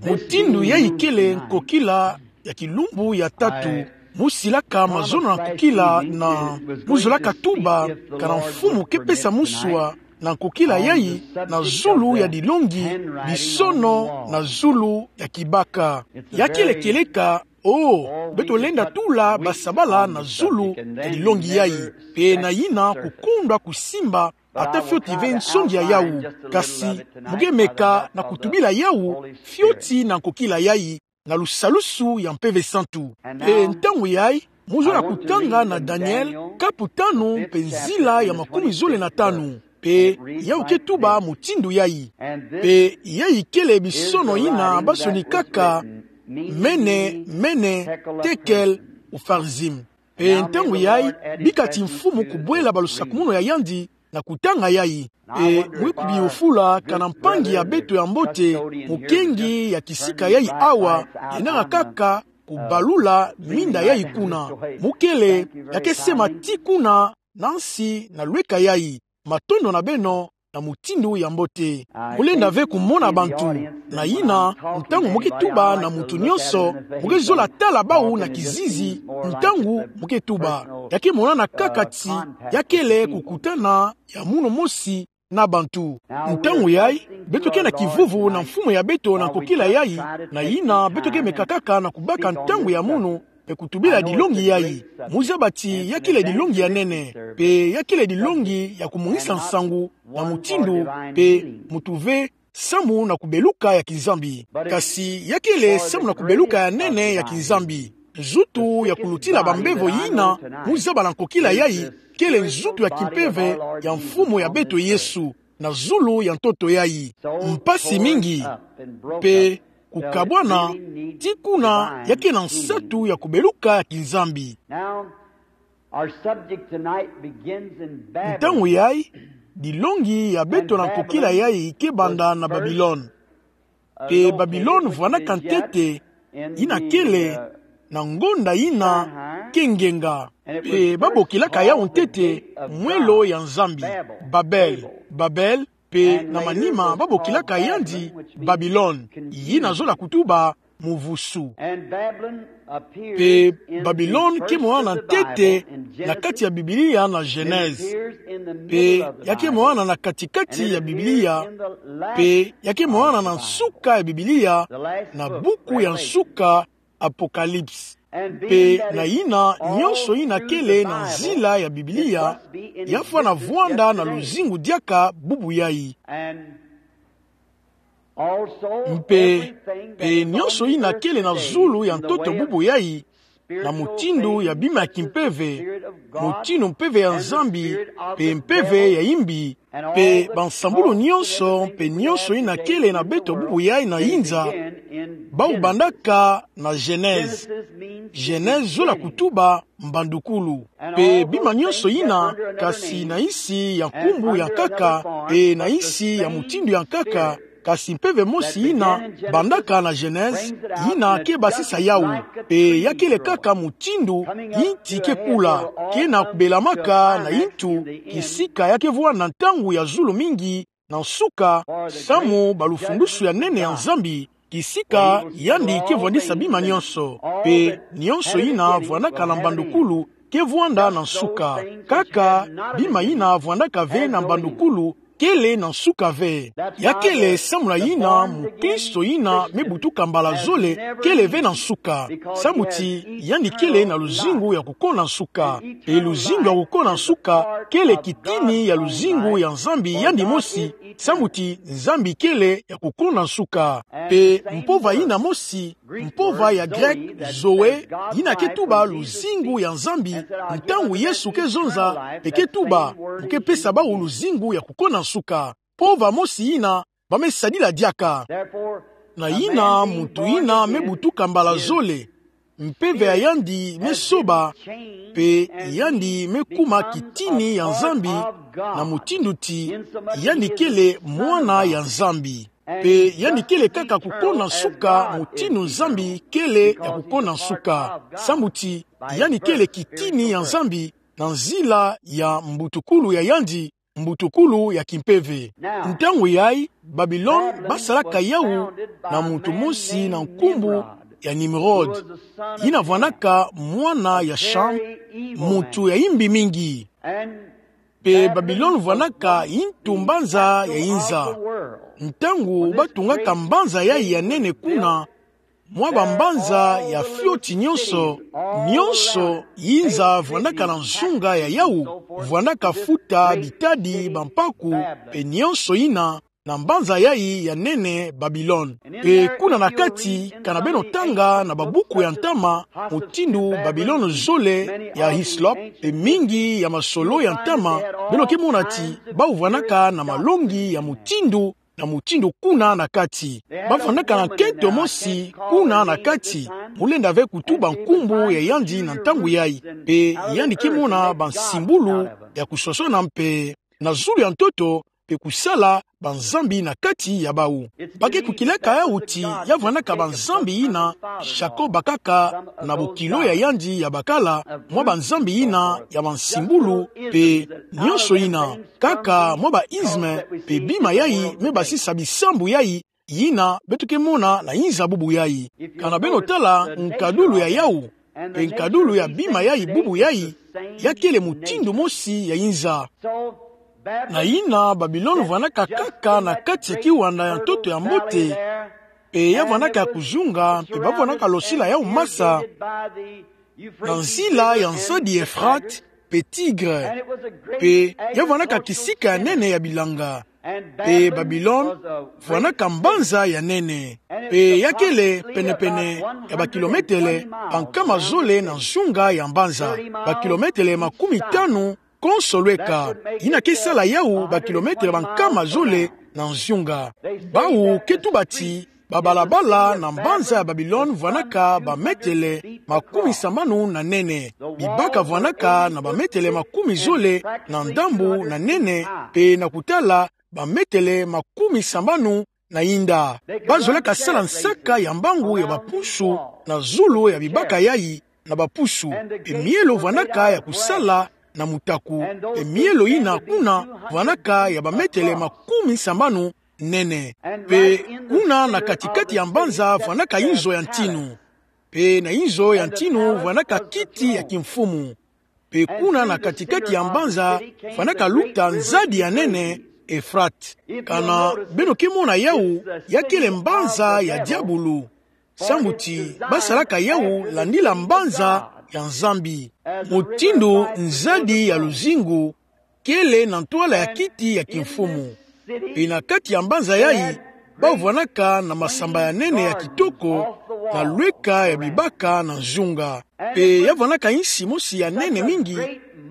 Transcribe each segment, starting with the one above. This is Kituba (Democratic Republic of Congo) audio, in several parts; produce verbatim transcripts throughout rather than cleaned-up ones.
Mutindu yayi kele nkokila ya kilumbu ya tatu. Mu silaka mazono na nkokila na mu zolaka tuba kana Mfumu ke pesa musua na nkokila yayi na zulu ya dilongi, bisono na zulu ya kibaka. Ya kele kieleka, oh, beto lenda tula basabala na zulu ya dilongi yayi. Pe na yina kukundwa kusimba ata fioti ve nsongi ya yawu. Kasi mu ke meka na kutubila yawu fioti na nkokila yayi na lusalusu ya Mpeve Santu. Pe ntangu yayi, mu zola kutanga na Daniele, kapu tanu, pe nzila ya makumi zole na tanu. Pe yawu ke tuba mutindu yayi. Pe yayi kele bisono yina basonikaka Mene, Mene, Tekel, Ufarzim. Pe ntangu yayi, bika ti Mfumu kubwela balusakumunu ya yandi na kutanga yayi. Pe mu ke kubiyufula kana mpangi ya beto ya mbote, mukengi ya kisika yayi awa, yenanga kaka kubalula minda yayi kuna. Mu kele, ya ke sema ti kuna, na nsi na lweka yayi. Matondo na beno, na mutindu ya mbote. Mu lenda ve kumona bantu. Na yina, ntangu mu ke tuba na muntu nyonso, mu ke zola tala bawu na kizizi, ntangu mu ke tuba. Ya ke monana kaka ti, ya kele kukutana ya munu mosi na bantu. Ntangu yayi, beto ke na kivuvu na Mfumu ya beto na nkokila yayi, na yina beto ke meka kaka na kubaka ntangu ya munu, pe kutubila dilongi yayi. Mu zaba ti ya kele dilongi ya nene, pe ya kele dilongi ya kumungisa nsangu, na mutindu, pe mutu ve samu na kubeluka ya kinzambi. Kasi ya kele samu na kubeluka ya nene ya kinzambi. Nzutu ya kulutila bambevo yina mu zaba na nkokila yayi, kele nzutu ya kimpeve ya Mfumu ya beto Yesu, na zulu ya ntoto yayi. Mpasi mingi, pe kukabwana, ti kuna ya ke na nsatu ya kubeluka ya kinzambi. Now, our subject tonight begins in Babylon. Ntangu yayi, dilongi ya beto na nkokila yayi ke banda na Babilone. Pe Babilone vwanaka ntete, yina kele na ngonda yina ke ngenga. Pe babokilaka yawu ntete mwelo ya Nzambi, Babel. Babel, pe na manima babokilaka yandi Babilone, yina zola kutuba muvusu. Pe Babilone ke monana ntete na kati ya Biblia na Genèse. Pe ya ke monana na kati-kati ya Biblia. Pe ya ke monana na nsuka ya Biblia, na buku ya nsuka, Apocalypse. Pe na yina, nyonso yina kele na nzila ya Biblia, ya fwana vwanda na luzingu diaka bubu yayi. Mpe, pe nyonso yina kele na zulu ya ntoto bubu yayi, na mutindu ya bima ya kimpeve, mutindu mpeve ya Nzambi, pe mpeve ya imbi, pe bansambulu nyonso, pe nyonso yina kele na beto bubu yayi na inza, bawu bandaka na Genèse. Genèse zola kutuba mbandukulu. Pe bima nyonso yina, kasi na insi ya nkumbu ya nkaka, pe na insi ya mutindu ya nkaka, kasi mpeve mosi yina bandaka na Genèse, yina ke basisa yawu. Pe ya kele kaka mutindu yinti ke kula, ke na kubelamaka na yintu, kisika ya ke vwanda na ntangu ya zulu mingi na nsuka, samu balufulusu ya nene ya Nzambi, kisika yandi ke vwandisa bima nyonso. Pe nyonso yina vwandaka na mbandukulu ke vwanda na nsuka. Kaka bima yina vwandaka ve na mbandukulu kele na nsuka ve. Ya kele samu na yina mukristo yina me butuka mbala zole kele ve na nsuka. Samu ti yandi kele na luzingu ya kukona nsuka. Pe luzingu ya kukona nsuka kele kitini ya luzingu ya Nzambi yandi mosi, samu ti Nzambi kele ya kukona nsuka. Pe mpova yina mosi, mpova ya Grek, Zoe, yina ke tuba luzingu ya Nzambi, ntangu Yesu ke zonza, pe ke tuba, mu ke pesa bawu luzingu ya kukona nsuka. Mpova mosi yina ba me sadila diaka. Na yina muntu yina me butuka mbala zole, mpeve ya yandi me soba, pe yandi me kuma kitini ya Nzambi, na mutindu ti yandi kele mwana ya Nzambi. Pe yandi kele kaka kukona nsuka mutindu Nzambi kele ya kukona nsuka. Samu ti yandi kele kitini ya Nzambi na nzila ya mbutukulu ya yandi, mbutukulu ya kimpeve. Ntangu yayi, Babilone basalaka yawu na muntu mosi na nkumbu ya Nimrod, yina vwanaka mwana ya Cham, muntu ya imbi mingi. Mpe Babilone vwanaka yintu mbanza ya yinza. Ntangu batungaka mbanza yayi ya nene kuna, mwa bambanza ya fioti nyonso, nyonso yinza vwanaka na nzunga ya yawu, vwanaka futa bitadi, bampaku, mpe nyonso yina, na mbanza yayi ya nene Babilone. Mpe kuna na kati, kana beno tanga na babuku ya ntama, mutindu Babilone zole ya Hislop, mpe mingi ya masolo ya ntama, beno ke mona ti bawu vwanaka na malongi ya mutindu na mutindu kuna na kati. Bavwanaka na nkento mosi kuna na kati, mu lenda ve kutuba nkumbu ya yandi na ntangu yayi. Mpe yandi ke mona bansimbulu ya kuswaswana mpe na zulu ya ntoto, mpe kusala banzambi na kati ya bawu. Ba ke kukilaka yawu ti ya vwanaka banzambi yina Jacob bakaka na bokilo ya yandi ya bakala, mwa banzambi yina ya bansimbulu, mpe nyonso yina, kaka mwa ba isme, mpe bima yayi me basisa bisambu yayi, yina beto ke mona na yinza bubu yayi. Kana beno tala nkadulu ya yawu, mpe nkadulu ya bima yayi bubu yayi, ya kele mutindu mosi ya yinza. Na yina Babilone vwanaka kaka na kati ya kiwanda ya ntoto ya mbote, mpe ya vwanaka ya kuzunga, mpe bavwanaka losila yawu masa, na nzila ya nzadi Efrate mpe Tigre, mpe ya vwanaka kisika ya nene ya bilanga. Mpe Babilone vwanaka mbanza ya nene, mpe ya kele penepene ya bakilometele bankama zole na nzunga ya mbanza, bakilometele makumi tanu konso lweka. Yina ke sala yawu bakilometele bankama zole na nzunga. Bawu ke tuba ti babalabala na mbanza ya Babilone vwanaka bametele makumi sambanu na nene. Bibaka vwanaka na bametele makumi zole na ndambu na nene, mpe na kutala bametele makumi sambanu na inda. Bazolaka sala nsaka ya mbangu ya bapusu na zulu ya bibaka yayi na bapusu. Mpe mielo vwanaka ya kusala na mutaku. Mpe mielo yina kuna vwanaka ya bametele makumi sambanu nene. Mpe kuna na katikati ya mbanza vwanaka yinzo ya ntinu. Mpe na yinzo ya ntinu vwanaka kiti ya kimfumu. Mpe kuna na katikati ya mbanza vwanaka luta nzadi ya nene Efrate. Kana beno ke mona yawu, ya kele mbanza ya diabulu. Sambu ti basalaka yawu landila mbanza ya Nzambi. Mutindu nzadi ya luzingu kele na ntwala ya kiti ya kimfumu. Mpe na kati ya mbanza yayi, bavwanaka na masamba ya nene ya kitoko, na lweka ya bibaka na nzunga. Mpe ya vwanaka insi mosi ya nene mingi,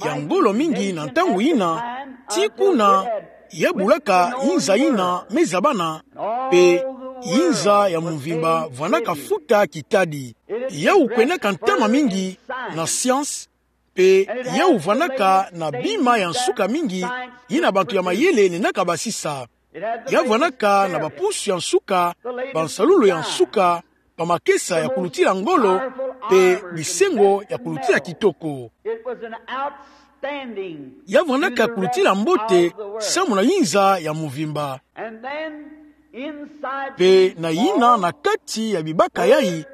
ya ngolo mingi na ntangu yina, ti kuna ya bulaka yinza yina me zabana, mpe yinza ya mvimba vwanaka futa kitadi. Yawu kwendaka ntama mingi na science, mpe yawu vwanaka na bima ya nsuka mingi, yina bantu ya mayele lendaka basisa. Ya vwanaka na bapusu ya nsuka, bansalulu ya nsuka, bamakesa ya kulutila ngolo, mpe bisengo ya kulutila kitoko. Ya vwanaka kulutila mbote samu na yinza ya mvimba. Mpe na yina na kati ya bibaka yayi,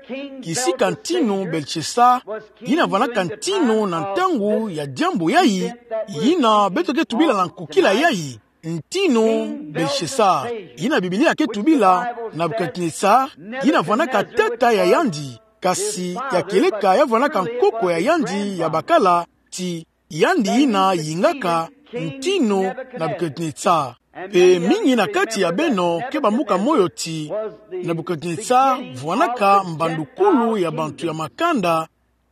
kisika ntinu Belshassar, yina vwanaka ntinu na ntangu ya diambu yayi, yina beto ke tubila na nkukila yayi, ntinu Belshassar, yina Biblia ke tubila Nebukadenesare, yina vwanaka tata ya yandi, kasi ya kieleka ya vwanaka nkoko ya yandi ya bakala, ti yandi yina yingaka ntinu Nebukadenesare. Mpe mingi na kati ya beno ke bambuka moyo ti Nebukadenesare vwanaka mbandukulu ya bantu ya makanda,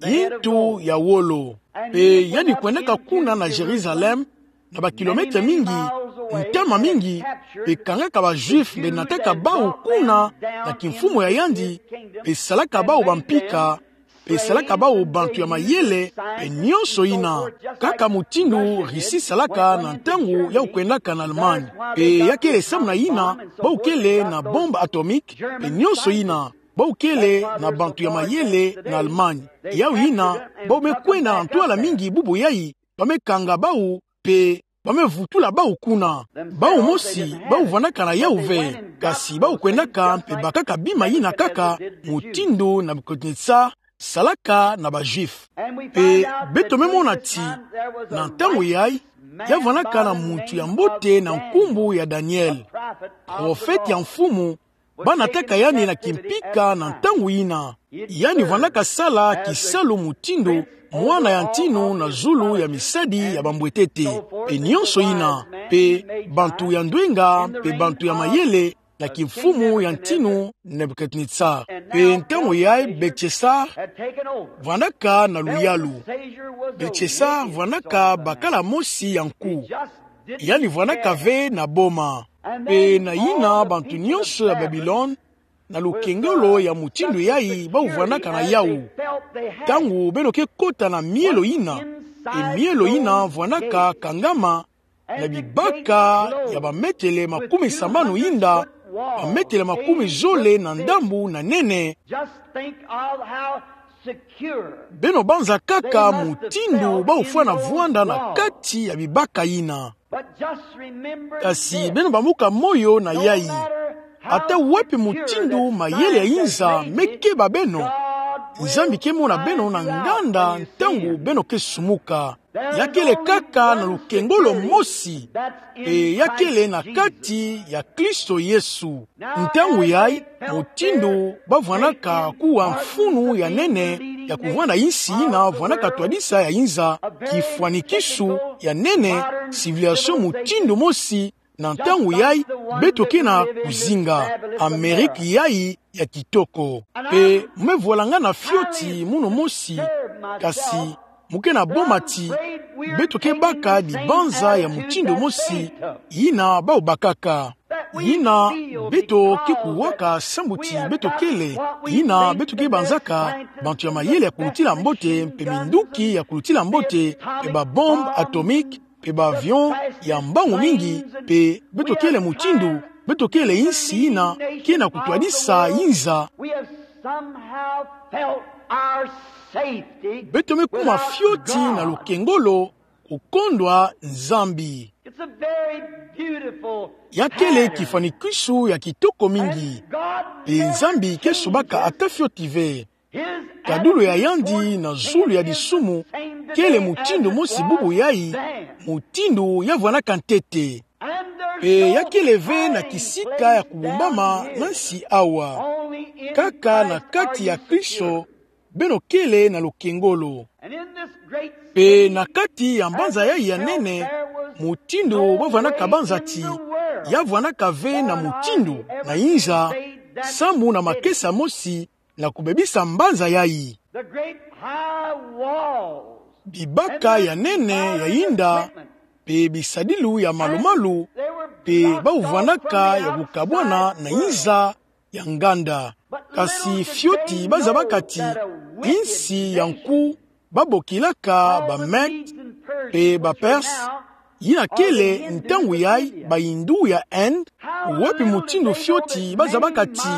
yintu ya wolo. Mpe yandi kwendaka kuna na Jérusalem, na bakilomètre mingi, ntama mingi, mpe kangaka ba Juifs mpe nataka bawu kuna na kimfumu ya yandi, mpe salaka bawu bampika, mpe salaka bawu bantu ya mayele, mpe nyonso yina, kaka mutindu Russie salaka na ntangu yawu kwendaka na Allemagne. Mpe ya kele samu na yina bawu kele na bombe atomique, mpe nyonso yina, bawu kele na bantu ya mayele na Allemagne. Yawu yina, bawu me kwenda na ntwala mingi bubu yayi, ba me kanga bawu, mpe ba me vutula bawu kuna. Bawu mosi, bawu vwandaka na yawu ve, kasi bawu kwendaka mpe bakaka bima yina kaka, mutindu Nebukadnesar salaka na ba Juifs. Mpe beto me mona ti, na ntangu yayi, ya vwandaka na muntu ya mbote na nkumbu ya Daniel, profete ya Mfumu, ba nataka yandi na kimpika na ntangu yina. Yandi vwandaka sala kisalu mutindu mwana ya ntinu na zulu ya misadi ya bambwetete. Mpe nyonso yina, mpe bantu ya ndwenga, mpe bantu ya mayele, na kimfumu ya ntinu Nebukadnesar. Mpe ntangu yayi Belshasar vwandaka na luyalu. Belshasar vwandaka bakala mosi ya nku. Yandi vwandaka ve na boma. Mpe na yina bantu nyonso ya Babilone, na lukengolo ya mutindu yayi bawu vwandaka na yawu. Ntangu beno ke kota na mielo yina, e mielo yina vwandaka kangama na bibaka ya bametele makumi sambanu yinda, bametele makumi zole na ndambu na nene. Just think of how secure. Beno banza kaka mutindu bawu fwana vwanda na kati ya bibaka yina. But just remember this. Kasi beno bambuka moyo na yayi. Ata wapi mutindu mayele ya inza me keba beno, Nzambi ke mona beno na nganda ntangu beno ke sumuka. Ya kele kaka na lukengolo mosi, mpe ya kele na kati ya Kristo Yesu. Ntangu yayi, mutindu ba vwanaka kuwa mfunu ya nene ya kuvwanda insi yina vwanaka twadisa ya inza, kifwanikisu ya nene, civilisation mutindu mosi, na ntangu yayi, beto ke na kuzinga Ameriki yayi ya kitoko. Mpe me volanga na fioti munu mosi, kasi mu ke na boma ti beto ke baka dibanza ya mutindu mosi, yina bawu bakaka. Yina beto ke kuwaka sambu ti beto kele, yina beto ke banzaka bantu ya mayele ya kulutila mbote, mpe minduki ya kulutila mbote, mpe ba bombe atomique, mpe ba avion ya mbangu mingi, mpe beto kele mutindu, beto kele insi yina ke na kutwadisa inza. We have somehow felt our safety. Beto me kuma fioti na lukengolo kukondwa Nzambi. It's a very beautiful. Ya kele kifwanikisu ya kitoko mingi. Mpe Nzambi ke subaka ata fioti ve. Kadulu ya yandi na zulu ya disumu kele mutindu mosi bubu yayi, mutindu ya vwanaka ntete. Mpe ya kele ve na kisika ya kubumbama na nsi awa. Kaka na kati ya Kristo, beno kele na lukengolo. Mpe na kati ya mbanza yayi ya nene, mutindu ba vwanaka banza ti, ya vwanaka ve na mutindu na inza, sambu na makesa mosi, na kubebisa mbanza yayi. Bibaka ya nene ya inda, mpe bisadilu ya malumalu, mpe bawu vwanaka ya kukabwana na inza ya nganda. Kasi fioti ba zabaka ti insi ya nku ba bokilaka ba Mèdes mpe ba Perses, yina kele ntangu yayi ba Hindous ya Inde, wapi mutindu fioti ba zabaka ti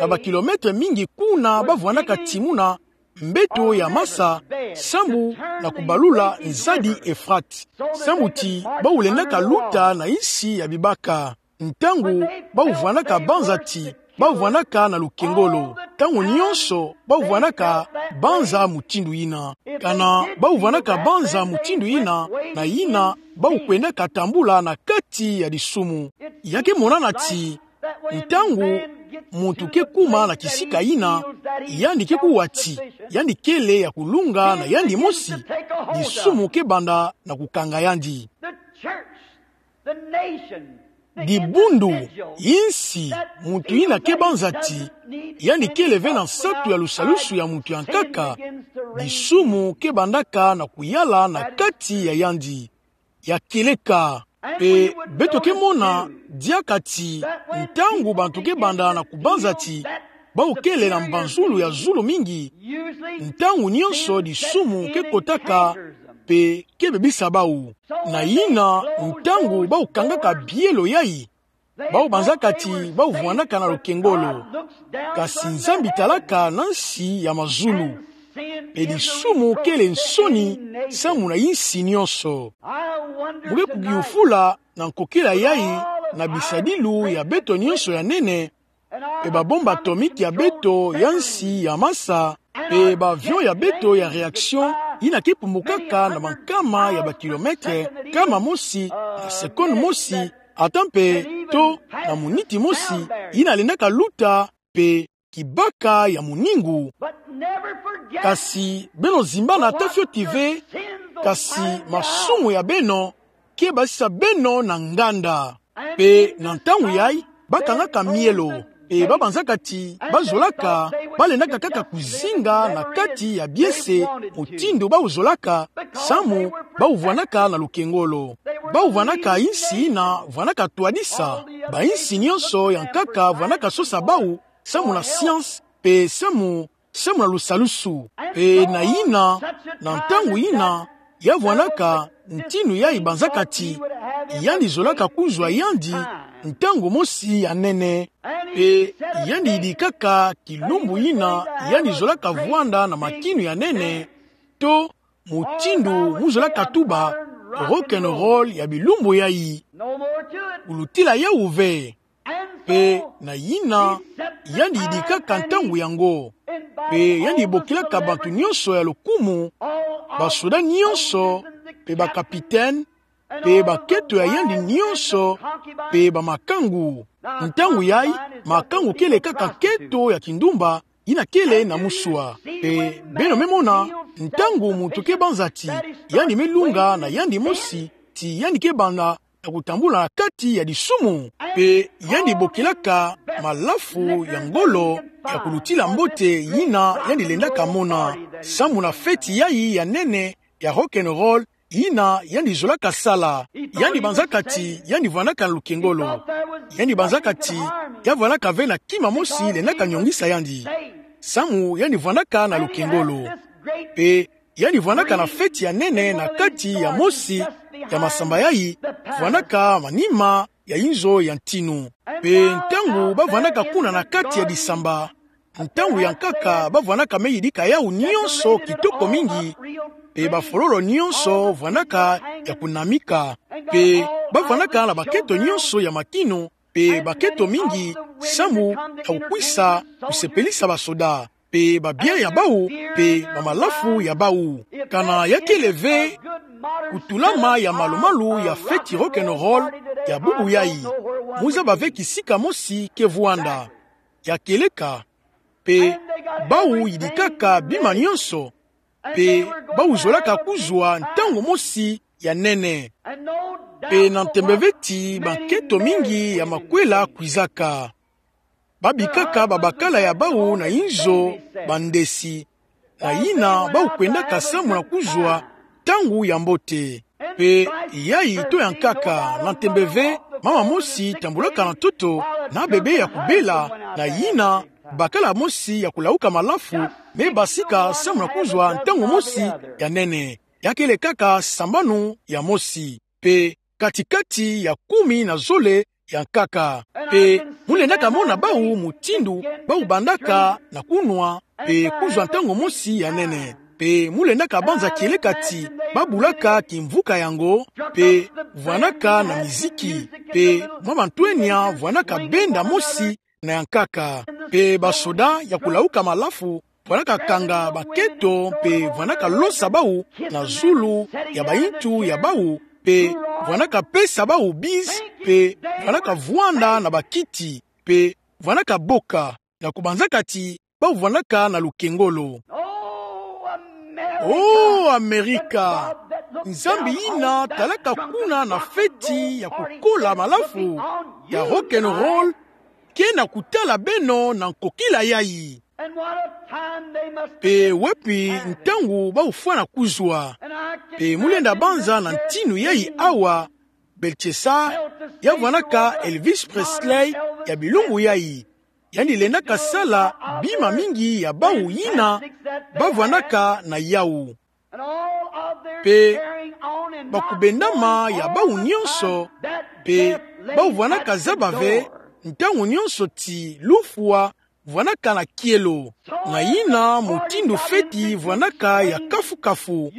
na ba kilomètres mingi kuna ba vwanaka timuna mbeto ya masa, sambu na kubalula nzadi Euphrate. Sambu ti bawu lendaka luta na insi ya bibaka. Ntangu bawu vwanaka banza ti, bawu vwanaka na lukengolo. Ntangu nyonso bawu vwanaka banza mutindu yina. Kana bawu vwanaka banza mutindu yina, na yina bawu kwendaka tambula na kati ya disumu. Ya ke monana ti, ntangu muntu ke kuma na kisika yina, yandi ke kuwa ti yandi kele ya kulunga na yandi mosi, disumu ke banda na kukanga yandi. The church, the nation, the individual. Dibundu, insi, muntu yina ke banza ti yandi kele ve na nsatu ya lusalusu ya muntu ya nkaka, disumu ke bandaka na kuyala na kati ya yandi. Ya kieleka. Mpe beto ke mona diaka ti ntangu bantu ke banda na kubanza ti bawu kele na mbanzulu ya zulu mingi, ntangu nyonso disumu ke kotaka mpe ke bebisa bawu. Na yina, ntangu bawu kangaka bielo yayi, bawu banzaka ti bawu vwanaka na lukengolo. Kasi Nzambi talaka na nsi ya mazulu. Pe disumu kele nsoni samu na insi nionso. Muke kukiyufula na nkokila yayi na bisadilu ya beto nionso ya nene, pe babombe atomique ya beto ya nsi ya masa, pe ba avion ya beto ya réaction, yina ke pumbukaka na bankama ya bakilometre, nkama mosi, na seconde mosi, ata mpe to na muniti mosi, yina lendaka luta, pe kibaka ya moningu. Kasi beno zimbana ata fioti ve, kasi masumu ya beno ke basisa beno na nganda. Pe na ntangu yayi, bakangaka mielo, pe babanzaka ti bazolaka, balendaka kaka kuzinga na kati ya biese, mutindu bau zolaka, samu bau vwanaka na lukengolo. Bau vwanaka insi yina vwanaka twadisa, bainsi nionso ya nkaka vwanaka sosa bau, samu na science, pe samu, samu na lusalusu. Pe na yina, na ntangu yina, ya vwanaka ntinu yayi banzaka ti, yandi zolaka kuzwa yandi, ntangu mosi ya nene. Pe yandi yidikaka kilumbu yina, yandi zolaka vwanda na makinu ya nene, to mutindu mu zolaka tuba rock and roll ya bilumbu yayi. Kulutila yawu ve. Pe na yina, yandi yidikaka ntangu yango. Pe yandi bokilaka bantu nionso ya lukumu, basoda nionso, pe bakapitene, pe bakento ya yandi nionso, pe bamakangu. Ntangu yayi, makangu kele kaka nkento ya kindumba, yina kele na muswa. Pe beno me mona, ntangu muntu ke banza ti, yandi me lunga na yandi mosi, ti yandi ke banda na kutambula na kati ya disumu. Pe yandi bokilaka malafu ya ngolo ya kulutila mbote yina yandi lendaka mona, samu na feti yayi ya nene ya rock and roll, yina yandi zolaka sala. Yandi banzaka ti yandi vwanaka na lukengolo. Yandi banzaka ti ya vwanaka ve na kima mosi lendaka nyongisa yandi, samu yandi vwanaka na lukengolo. Pe yandi vwanaka na feti ya nene na kati ya mosi ya masamba yayi, vwanaka manima ya inzo ya ntinu. Pe ntangu bavwanaka kuna na kati ya disamba, ntangu ya nkaka bavwanaka me yidika yawu nionso kitoko mingi, pe bafololo nionso vwanaka ya kunamika, pe bavwanaka na bakento nionso ya makinu, pe bakento mingi, samu ya kukwisa kusepelisa basoda, pe babien ya bau, pe bamalafu ya bau. Kana ya kele ve kutulama ya malumalu ya feti rock and roll ya bubu yayi, mu zaba ve kisika mosi ke vwanda. Ya kieleka, pe bau yidikaka bima nionso, pe bau zolaka kuzwa ntangu mosi ya nene. Pe na ntembe ve ti bankento mingi ya makwela kwizaka. Babikaka babakala ya bau na inzo bandesi, na yina bau kwendaka samu na kuzwa ntangu ya mbote. Pe yayi to ya nkaka, na ntembe ve mama mosi tambulaka na ntoto na bebe ya kubela, na yina bakala mosi ya kulauka malafu me basika samu na kuzwa ntangu mosi ya nene. Ya kele kaka sambanu ya mosi, pe kati-kati ya kumi na zole ya nkaka. Pe mu lendaka mona bau mutindu bau bandaka na kunwa, pe kuzwa ntangu mosi ya nene. Pe mu lendaka banza kieleka ti babulaka kimvuka yango, pe vwanaka na miziki, pe mwa mantwenia vwanaka benda mosi na ya nkaka. Pe basoda ya kulauka malafu vwanaka kanga bakento, pe vwanaka losa bau na zulu ya bayintu ya bau, pe vwanaka pesa bau bise, pe vwanaka vwanda na bakiti, pe vwanaka boka, na kubanzaka ti bau vwanaka na lukengolo. Oh, Amerika! Nzambi yina talaka kuna na feti ya kukola malafu ya rock and roll, ke na kutala beno na nkokila yayi. Pe wepi ntangu bau fwana kuzwa? Pe mu lenda banza na ntinu yayi awa, Beltesar ya vwanaka Elvis Presley ya bilumbu yayi. Yandi lendaka sala bima mingi ya bau yina bavwanaka na yau. Pe bakubendama ya bau nionso, pe bau vwanaka zaba ve ntangu nionso ti lufwa vwanaka na kielo. Na yina mutindu feti vwanaka ya kafu-kafu,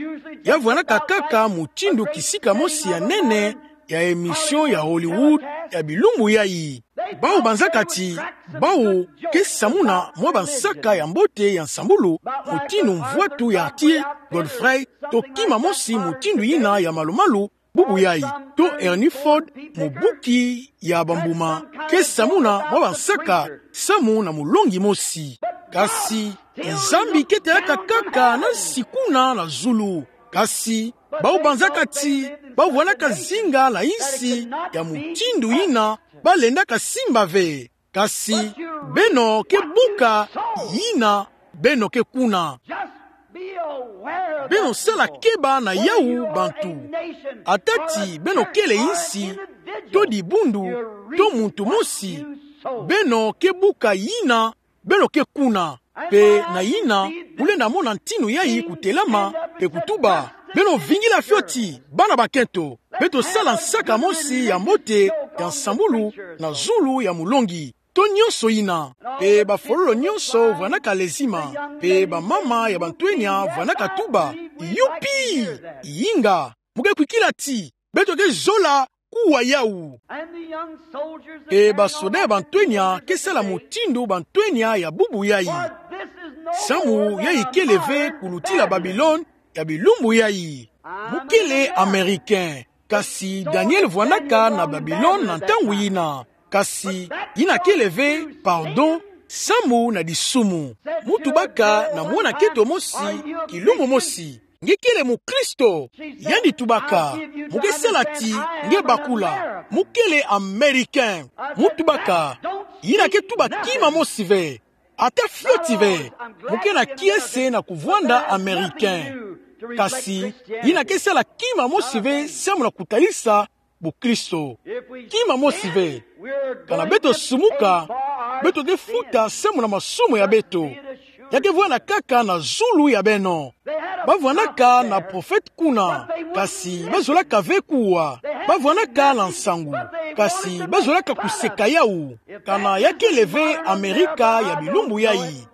ya vwanaka kaka mutindu kisika mosi ya nene ya émission ya Hollywood ya bilumbu yayi. Bau banzaka ti bau ke samuna mwa bansaka ya mbote ya nsambulu, mutindu mvwatu ya Arthur Godfrey, to kima mosi mutindu yina ya malu-malu bubu yayi, to Henry Ford, mubuki ya bambuma, ke samuna mwa bansaka samu na mulongi mosi. Kasi Nzambi ke telaka kaka na nsi kuna na zulu. Kasi bau banzaka ti bau vwanaka zinga na insi ya mutindu yina balendaka simba ve. Kasi beno ke buka yina, beno ke kuna. Beno sala keba na yawu, bantu. Ata ti beno kele insi, to dibundu, to muntu mosi, beno ke buka yina, beno ke kuna. Pe na yina, kulenda mona ntinu yayi kutelama pe kutuba: Beno vingila fioti, bana bakento. Beto sala nsaka mosi ya mbote ya nsambulu na zulu ya mulongi, to nyonso yina. Pe bafololo nyonso vwanaka lezima, pe bamama ya bantwenya vwanaka tuba: Yupi! Yinga! Mu ke kwikila ti beto ke zola kuwa yawu. Pe basoda ya bantwenya ke sala mutindu bantwenya ya bubu yayi. Samu yayi kele ve kulutila Babilone ya bilumbu yayi. Mu kele Américain, kasi Daniel vwanaka na Babilone na ntangu yina. Kasi yina kele ve, pardon, samu na disumu. Mu tubaka na mwana-kento mosi, kilumbu mosi: Nge kele mukristo? Yandi tubaka: Mu ke sala ti nge bakula. Mu kele Américain. Mu tubaka: Yina ke tuba kima mosi ve. Ata fioti ve. Mu ke na kiese na kuvwanda Américain. Kasi yina ke sala kima mosi ve samu na kutalisa bukristo. Kima mosi ve. Kana beto sumuka, beto ke futa samu na masumu ya beto. Ya ke vwanda kaka na zulu ya beno. Bavwandaka na prophète kuna, kasi bazolaka ve kuwa. Bavwandaka na nsangu, kasi bazolaka kuseka yawu. Kana ya kele ve Amerika ya bilumbu yayi,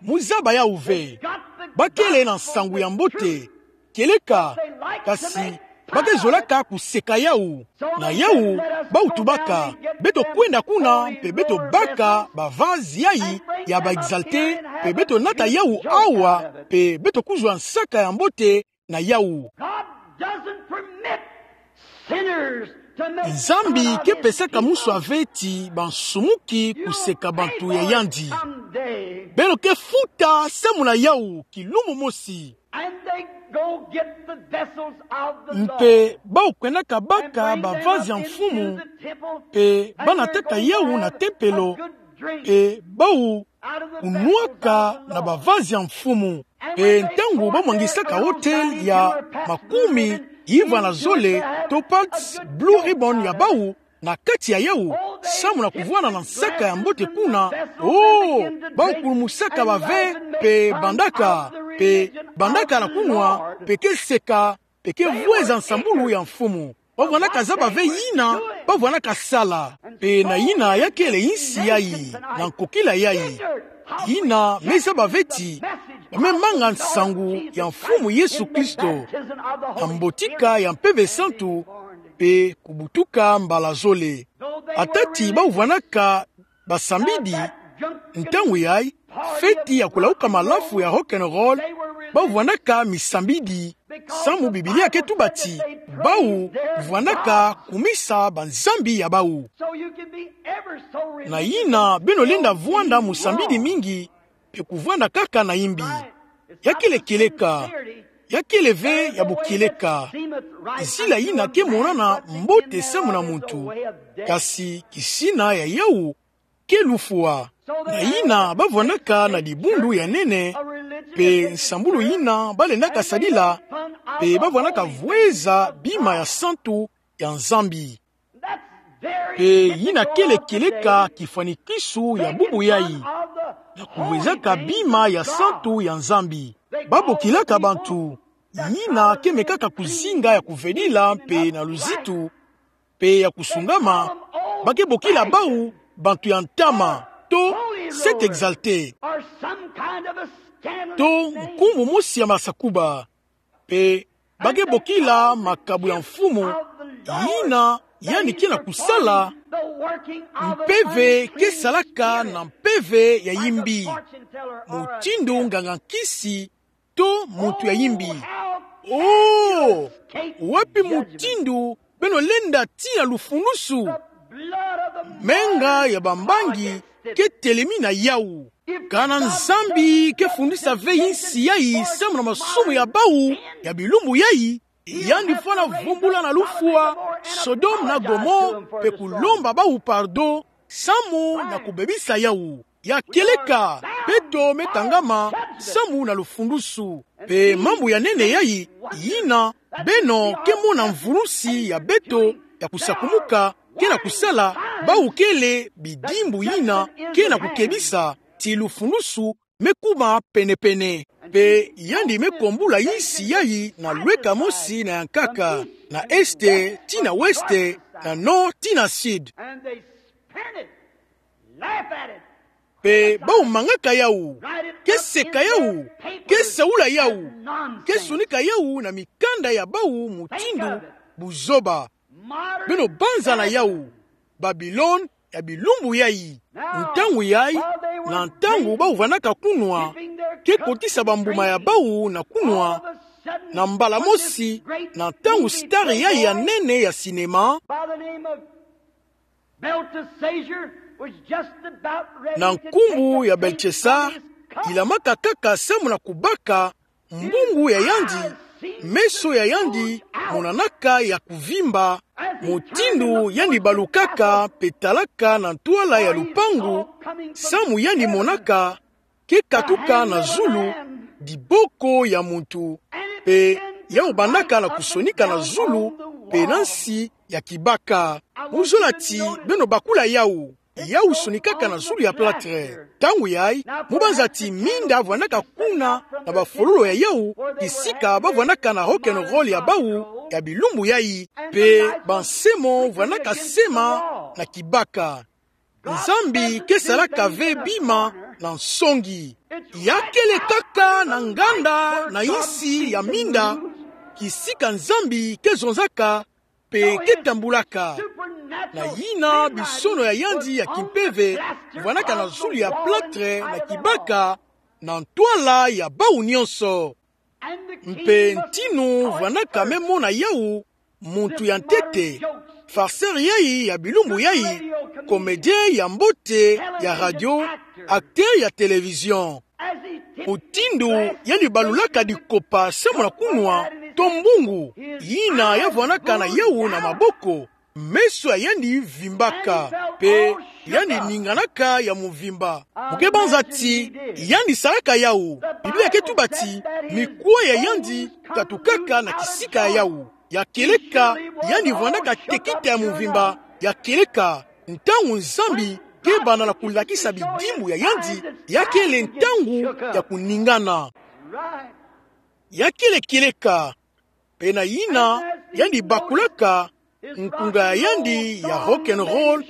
mu zaba yawu ve. Ba kele na nsangu ya mbote, kieleka, kasi ba ke zolaka kuseka yawu. Na yawu, bawu tubaka: Beto kwenda kuna, mpe beto baka bavazi yayi ya ba exalté, mpe beto nata yawu awa, mpe beto kuzwa nsaka ya mbote na yawu. God doesn't permit sinners to make fun of his people. Nzambi ke pesaka muswa ve ti bansumuki kuseka bantu ya yandi. Beno ke futa samu na yawu kilumbu mosi. And they go get the vessels of the Lord. Mpe bawu kwendaka baka bavazi ya Mfumu, mpe ba nataka yawu na tempelo, mpe bawu kunwaka na bavazi ya Mfumu. Mpe ntangu ba mwangisaka autel ya makumi ivwa na zole, topaz, Blue Ribbon ya bawu, na kati ya yawu, samu na kuvwanda na nsaka ya mbote kuna, oh, bawu kulumusaka bave, mpe bandaka, mpe bandaka na kunwa, mpe ke seka, mpe ke vweza nsambulu ya Mfumu. Ba vwandaka zaba ve yina ba vwandaka sala. Mpe na yina ya kele insi yayi, na nkokila yayi. Yina me zaba ve ti ba me manga nsangu ya Mfumu Yesu Kristo, na mbotika ya Mpeve Santu, mpe kubutuka mbala zole. Ata ti bawu vwandaka basambidi, ntangu yayi, feti ya kulauka malafu ya rock and roll, bawu vwandaka misambidi. Samu Biblia ke tuba ti bawu vwandaka kumisa banzambi ya bawu. Na yina beno lenda vwanda musambidi mingi, mpe kuvwanda kaka na imbi. Ya kele kieleka, ya kele ve ya bukieleka. Nzila yina ke monana mbote samu na muntu, kasi kisina ya yawu ke lufwa. Na yina ba vwandaka na dibundu ya nene, mpe nsambulu yina ba lendaka sadila, mpe ba vwandaka vweza bima ya santu ya Nzambi. Mpe yina kele kieleka kifwani kisu ya bubu yayi, na kuvwezaka bima ya santu ya Nzambi. Ba bokilaka bantu, yina ke mekaka kuzinga ya kuvedila mpe na luzitu, mpe ya kusungama, ba ke bokila bawu bantu ya ntama, to s'est exalté. To nkumbu mosi ya masakuba. Pe ba ke bokila makabu ya mfumu, yina yandi ke na kusala, mpeve ke salaka na mpeve ya yimbi, mutindu nganga-nkisi to muntu ya yimbi. Oh, wapi mutindu beno lenda tii na lufulusu? Menga ya bambangi ke telemi na yawu. Kana Nzambi ke fundisa ve insi yayi samu na masumu ya bawu ya bilumbu yayi, yandi fwana vumbula na lufwa Sodome na Gomore, pe kulomba bawu pardon samu na kubebisa yawu. Ya kieleka, beto me tangama samu na lufulusu. Pe mambu ya nene yayi, yina beno ke mona mvulusi ya beto ya kusakumuka ke na kusala, bawu kele bidimbu yina ke na kukebisa ti lufulusu me kuma pene-pene. Pe yandi me kumbula insi yayi na lweka mosi na ya nkaka, na est tii na ouest, na nord tii na sud. Pe bawu mangaka yawu, ke seka yawu, ke saula yawu, ke sonika yawu na mikanda ya bawu mutindu buzoba. Beno banza na yawu, Babilone ya bilumbu yayi. Ntangu yayi, na ntangu bawu vwanaka kunwa, ke kotisa bambuma ya bawu na kunwa, na mbala mosi, na ntangu star yayi ya nene ya cinéma, na nkumbu ya Beltesar, ilamaka kaka samu na kubaka mbungu ya yandi, meso ya yandi monanaka ya kuvimba, mutindu yandi balukaka pe talaka na ntwala ya lupangu, samu yandi monaka ke katuka na zulu, diboko ya muntu, pe yawu bandaka na kusonika na zulu pe na nsi ya kibaka. Mu zola ti beno bakula yawu. Yawu sonikaka na zulu ya plâtre. Ntangu yayi, mu banza ti minda vwanaka kuna na bafololo ya yawu, kisika ba vwanaka na rock and roll ya bawu ya bilumbu yayi, pe bansemo vwanaka sema na kibaka. Nzambi ke salaka ve bima na nsongi. Ya kele kaka na nganda na insi ya minda, kisika Nzambi ke zonzaka pe ke tambulaka. Na yina bisono ya yandi ya kimpeve vwanaka na zulu ya plâtre na kibaka, na ntwala ya bawu nyonso. Mpe ntinu vwanaka me mona yawu, muntu ya ntete, farceur yayi ya bilumbu yayi, comédien ya mbote ya radio, acteur ya télévision. Mutindu yandi balulaka dikopa samu na kunwa, to mbungu, yina ya vwanaka na yawu na maboko, meso ya yandi vimbaka, pe yandi ninganaka ya muvimba. Mu ke banza ti yandi salaka yawu. Biblia ke tuba ti mikwa ya yandi katukaka na kisika ya yawu. Ya kieleka, yandi vwanaka tekita ya muvimba. Ya kieleka, ntangu Nzambi ke banda na kulakisa bidimbu ya yandi, ya kele ntangu ya kuningana. Ya kele kieleka, pe na yina yandi bakulaka, nkunga ya yandi ya rock and roll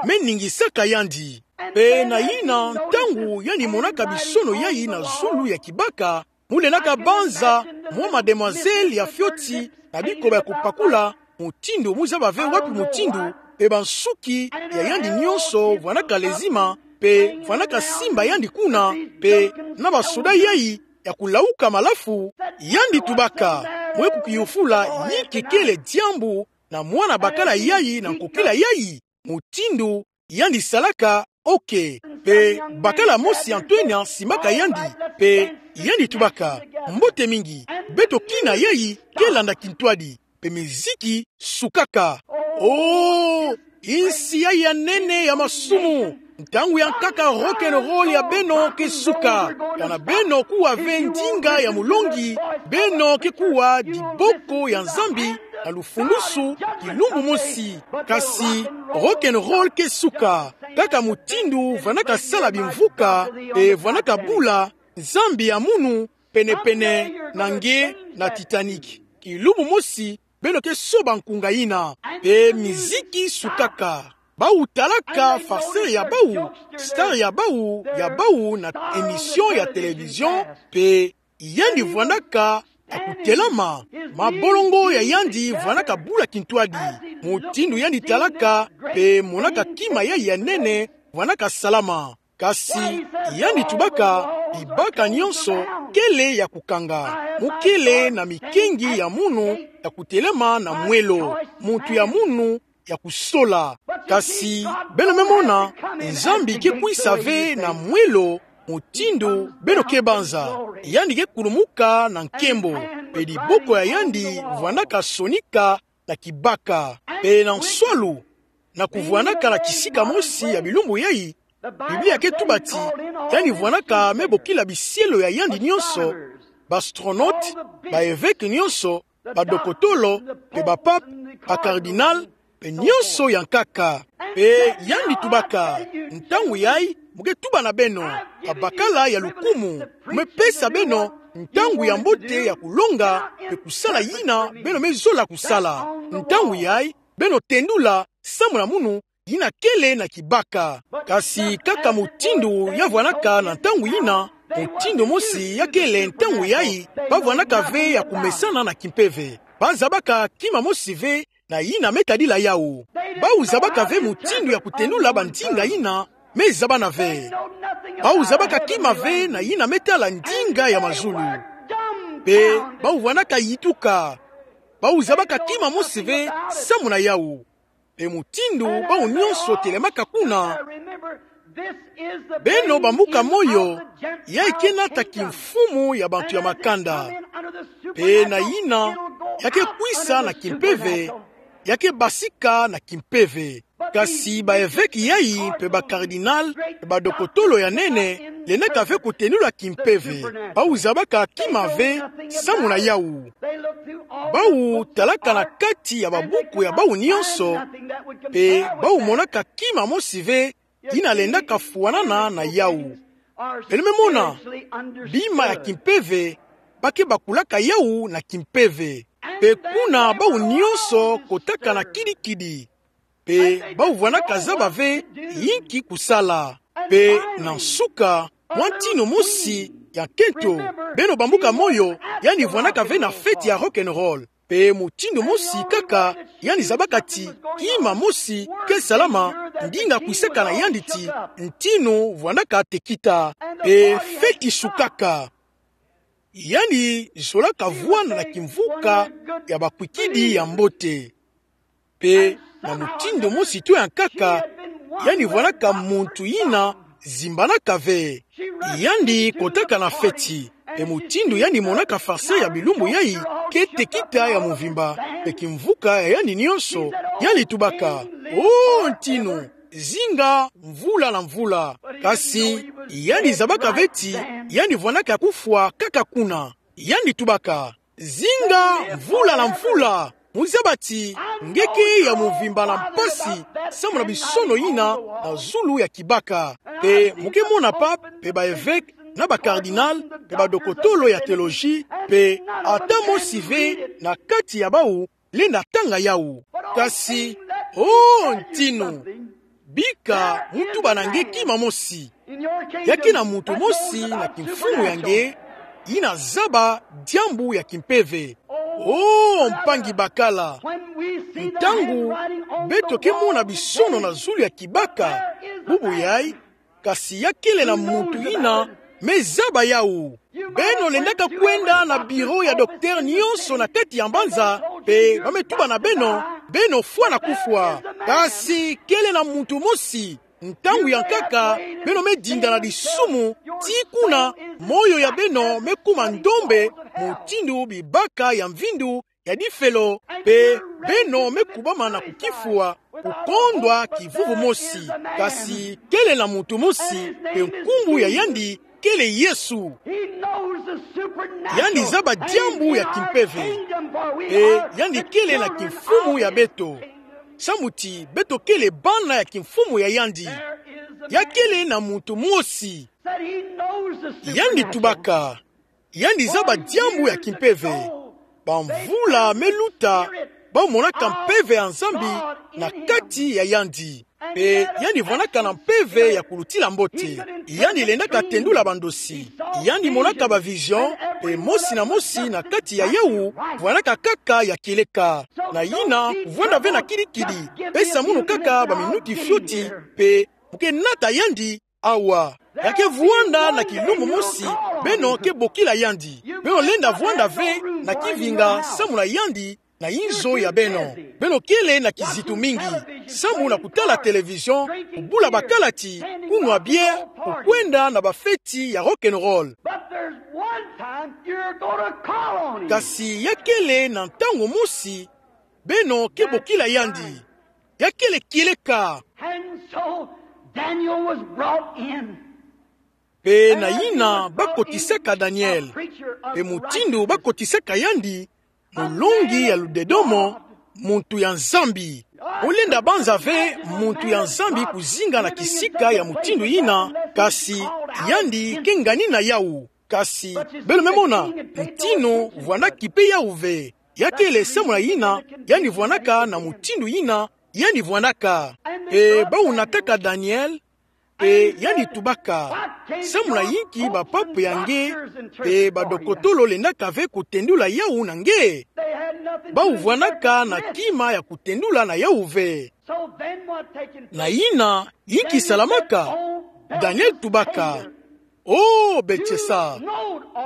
me ningisaka yandi. Pe na yina ntangu yandi monaka bisono yayi na zulu ya kibaka, mu lendaka banza mwa mademoiselle ya fioti na bikoba ya kupakula, mutindu mu zaba ve wapi mutindu, pe bansuki ya yandi nyonso vwanaka lezima, pe vwanaka simba yandi kuna, pe na basoda yayi ya kulauka malafu, yandi tubaka, mwe kukiyufula inki kele diambu na mwana bakala yayi na nkokila yayi, mutindu yandi salaka, ok. Pe bakala mosi ya ntwenya simbaka yandi, pe yandi tubaka, mbote mingi, beto kina yayi ke landa kintwadi. Pe miziki sukaka. Oh, insi yayi ya nene ya masumu. Ntangu ya nkaka rock and roll ya beno ke suka. Kana beno kuwa ve ndinga ya mulongi, beno ke kuwa diboko ya Nzambi na lufulusu kilumbu mosi. Kasi rock and roll ke suka. Kaka mutindu vwanaka sala bimvuka, pe vwanaka bula, Nzambi ya munu, pene-pene na nge na Titanic. Kilumbu mosi, beno ke soba nkunga yina. Pe miziki sukaka. Bau talaka farceur ya bau, star ya bau, ya bau na émission ya télévision, pe yandi vwandaka ya kutelama. Mabolongo ya yandi vwandaka bula kintwadi. Mutindu yandi talaka, pe monaka kima ya, ya nene, vwandaka salama. Kasi yandi tubaka, bibaka nyonso kele ya kukanga. Mukele na mikengi ya munu ya kutelema na mwelo, muntu ya munu ya kusola. Kasi beno me mona, Nzambi ke kwisa ve na mwelo mutindu beno ke banza. Yandi ke kulumuka na nkembo, pe diboko ya yandi vwandaka sonika na kibaka. Pe na nswalu, na kuvwandaka na kisika mosi ya bilumbu yai, Biblia ke tuba ti yandi vwandaka me bokila bisielo ya yandi nyonso, ba astronautes, ba évêques nyonso, badokotolo, pe ba pape, ba cardinal, pe nyonso ya nkaka. Pe yandi tubaka, ntangu yai, mu ke tuba na beno, ba bakala ya lukumu, mu me pesa beno ntangu ya mbote ya kulonga, pe kusala yina beno me zola kusala. Ntangu yai, beno tendula samu na munu yina kele na kibaka. Kasi kaka mutindu ya vwandaka na ntangu yina, mutindu mosi ya kele ntangu yai, ba vwandaka ve ya kumesana na kimpeve. Ba zabaka kima mosi ve na yina me tadila yau. Bau zabaka ve mutindu ya kutendula bandinga yina me zabana ve. Bau zabaka kima ve na yina me tala ndinga ya mazulu. Pe bau vwandaka yituka. Bau zabaka kima mosi ve samu na yau. Pe mutindu bau nyonso telemaka kuna. Beno bambuka moyo, yai ke nata kimfumu ya bantu ya makanda. Pe na yina, ya ke kwisa na kimpeve, ya ke basika na kimpeve. Kasi ba évêques yai, pe ba cardinal, pe badokotolo ya nene, lendaka ve kutendula kimpeve. Bau zabaka kima ve samu na yau. Bau talaka na kati ya babuku ya bau nyonso, pe bau monaka kima mosi ve yina lendaka fwanana na yau. Beno me mona, bima ya kimpeve, ba ke bakulaka yau na kimpeve. Pe kuna bau nyonso kotaka na kidikidi. Pe bau vwandaka zaba ve yinki kusala. Pe na nsuka, mwa ntinu mosi ya nkento, beno bambuka moyo, yandi vwandaka ve na feti ya rock and roll. Pe mutindu mosi kaka, yandi zabaka ti kima mosi ke salama, ndinga kwisaka na yandi ti ntinu vwandaka tekita. Pe feti sukaka. Yandi zolaka vwanda na kimvuka ya bakwikidi ya mbote. Pe na mutindu mosi tu ya nkaka, yandi vwandaka muntu yina zimbanaka ve. Yandi kotaka na feti. Pe mutindu yandi monaka farceur ya bilumbu yai, ke tekita ya mvimba, pe kimvuka ya yandi nyonso, yandi tubaka: "O ntinu, zinga mvula na mvula." Kasi yandi zabaka ve ti yandi vwandaka kufwa kaka kuna. Yandi tubaka: "Zinga mvula na mvula." Mu zaba ti nge ke ya mvimba na mpasi samu na bisono yina na zulu ya kibaka. Pe mu ke mona pape, pe ba évêques, na ba cardinal, pe badokotolo ya théologie, pe ata mosi ve na kati ya bau lenda tanga yau. Kasi, o ntinu, bika mu tuba na nge kima mosi. Ya ke na muntu mosi na kimfumu ya nge, yina zaba diambu ya kimpeve. O mpangi bakala, ntangu beto ke mona bisono na zulu ya kibaka, bubu yai, kasi ya kele na muntu yina me zaba yau. Beno lendaka kwenda na bureau ya docteur nyonso na kati ya mbanza, pe ba me tuba na beno, beno fwana kufwa. Kasi kele na muntu mosi, ntangu ya nkaka, beno me dinda na disumu, tii kuna moyo ya beno me kuma ndombe, mutindu bibaka ya mvindu ya difelo, pe beno me kubama na kukifwa, kukondwa kivuvu mosi. Kasi kele na muntu mosi, pe nkumbu ya yandi kele Yesu. Yandi zaba diambu ya kimpeve. Pe yandi kele na kimfumu ya beto, samu ti beto kele bana ya kimfumu ya yandi. Ya kele na muntu mosi. Yandi tubaka, yandi zaba diambu ya kimpeve. Bamvula me luta, ba monaka mpeve ya Nzambi na kati ya yandi. Mpe yandi vwanaka na mpeve ya kulutila mbote. Yandi lendaka tendula bandosi. Yandi monaka ba vision, mpe mosi na mosi na kati ya yawu vwanaka kaka ya kieleka. Na yina, kuvwanda ve na kidikidi, pesa munu kaka ba minuti fioti, mpe mu ke nata yandi awa. Ya ke vwanda na kilumbu mosi, beno ke bokila yandi. Beno lenda vwanda ve na kivinga samu na yandi na inzo ya beno. Beno kele na kizitu mingi samu na kutala télévision, kubula bakalati, kunwa bière, kukwenda na bafeti ya rock and roll. But there's one time you're going to call on him. Kasi ya kele na ntangu mosi, beno ke bokila yandi. Ya kele kieleka. And so Daniel was brought in. Mpe na yina bakotisaka Daniel. Mpe mutindu bakotisaka yandi, mulongi ya ludedomo, muntu ya Nzambi. Mu lenda banza ve muntu ya Nzambi kuzinga na kisika ya mutindu yina, kasi yandi ke ngani na yawu. Kasi beno me mona, ntinu vwandaki mpe yawu ve. Ya kele samu na yina yandi vwandaka na mutindu yina yandi vwandaka. Mpe bawu nataka Daniel, mpe yandi tubaka: Samu na yinki bapapa ya nge mpe badokotolo lendaka ve kutendula yawu na nge? Bawu vwandaka na kima ya kutendula na yawu ve. So then what taking Na yina, yinki salamaka? Daniel tubaka: O Belsasar,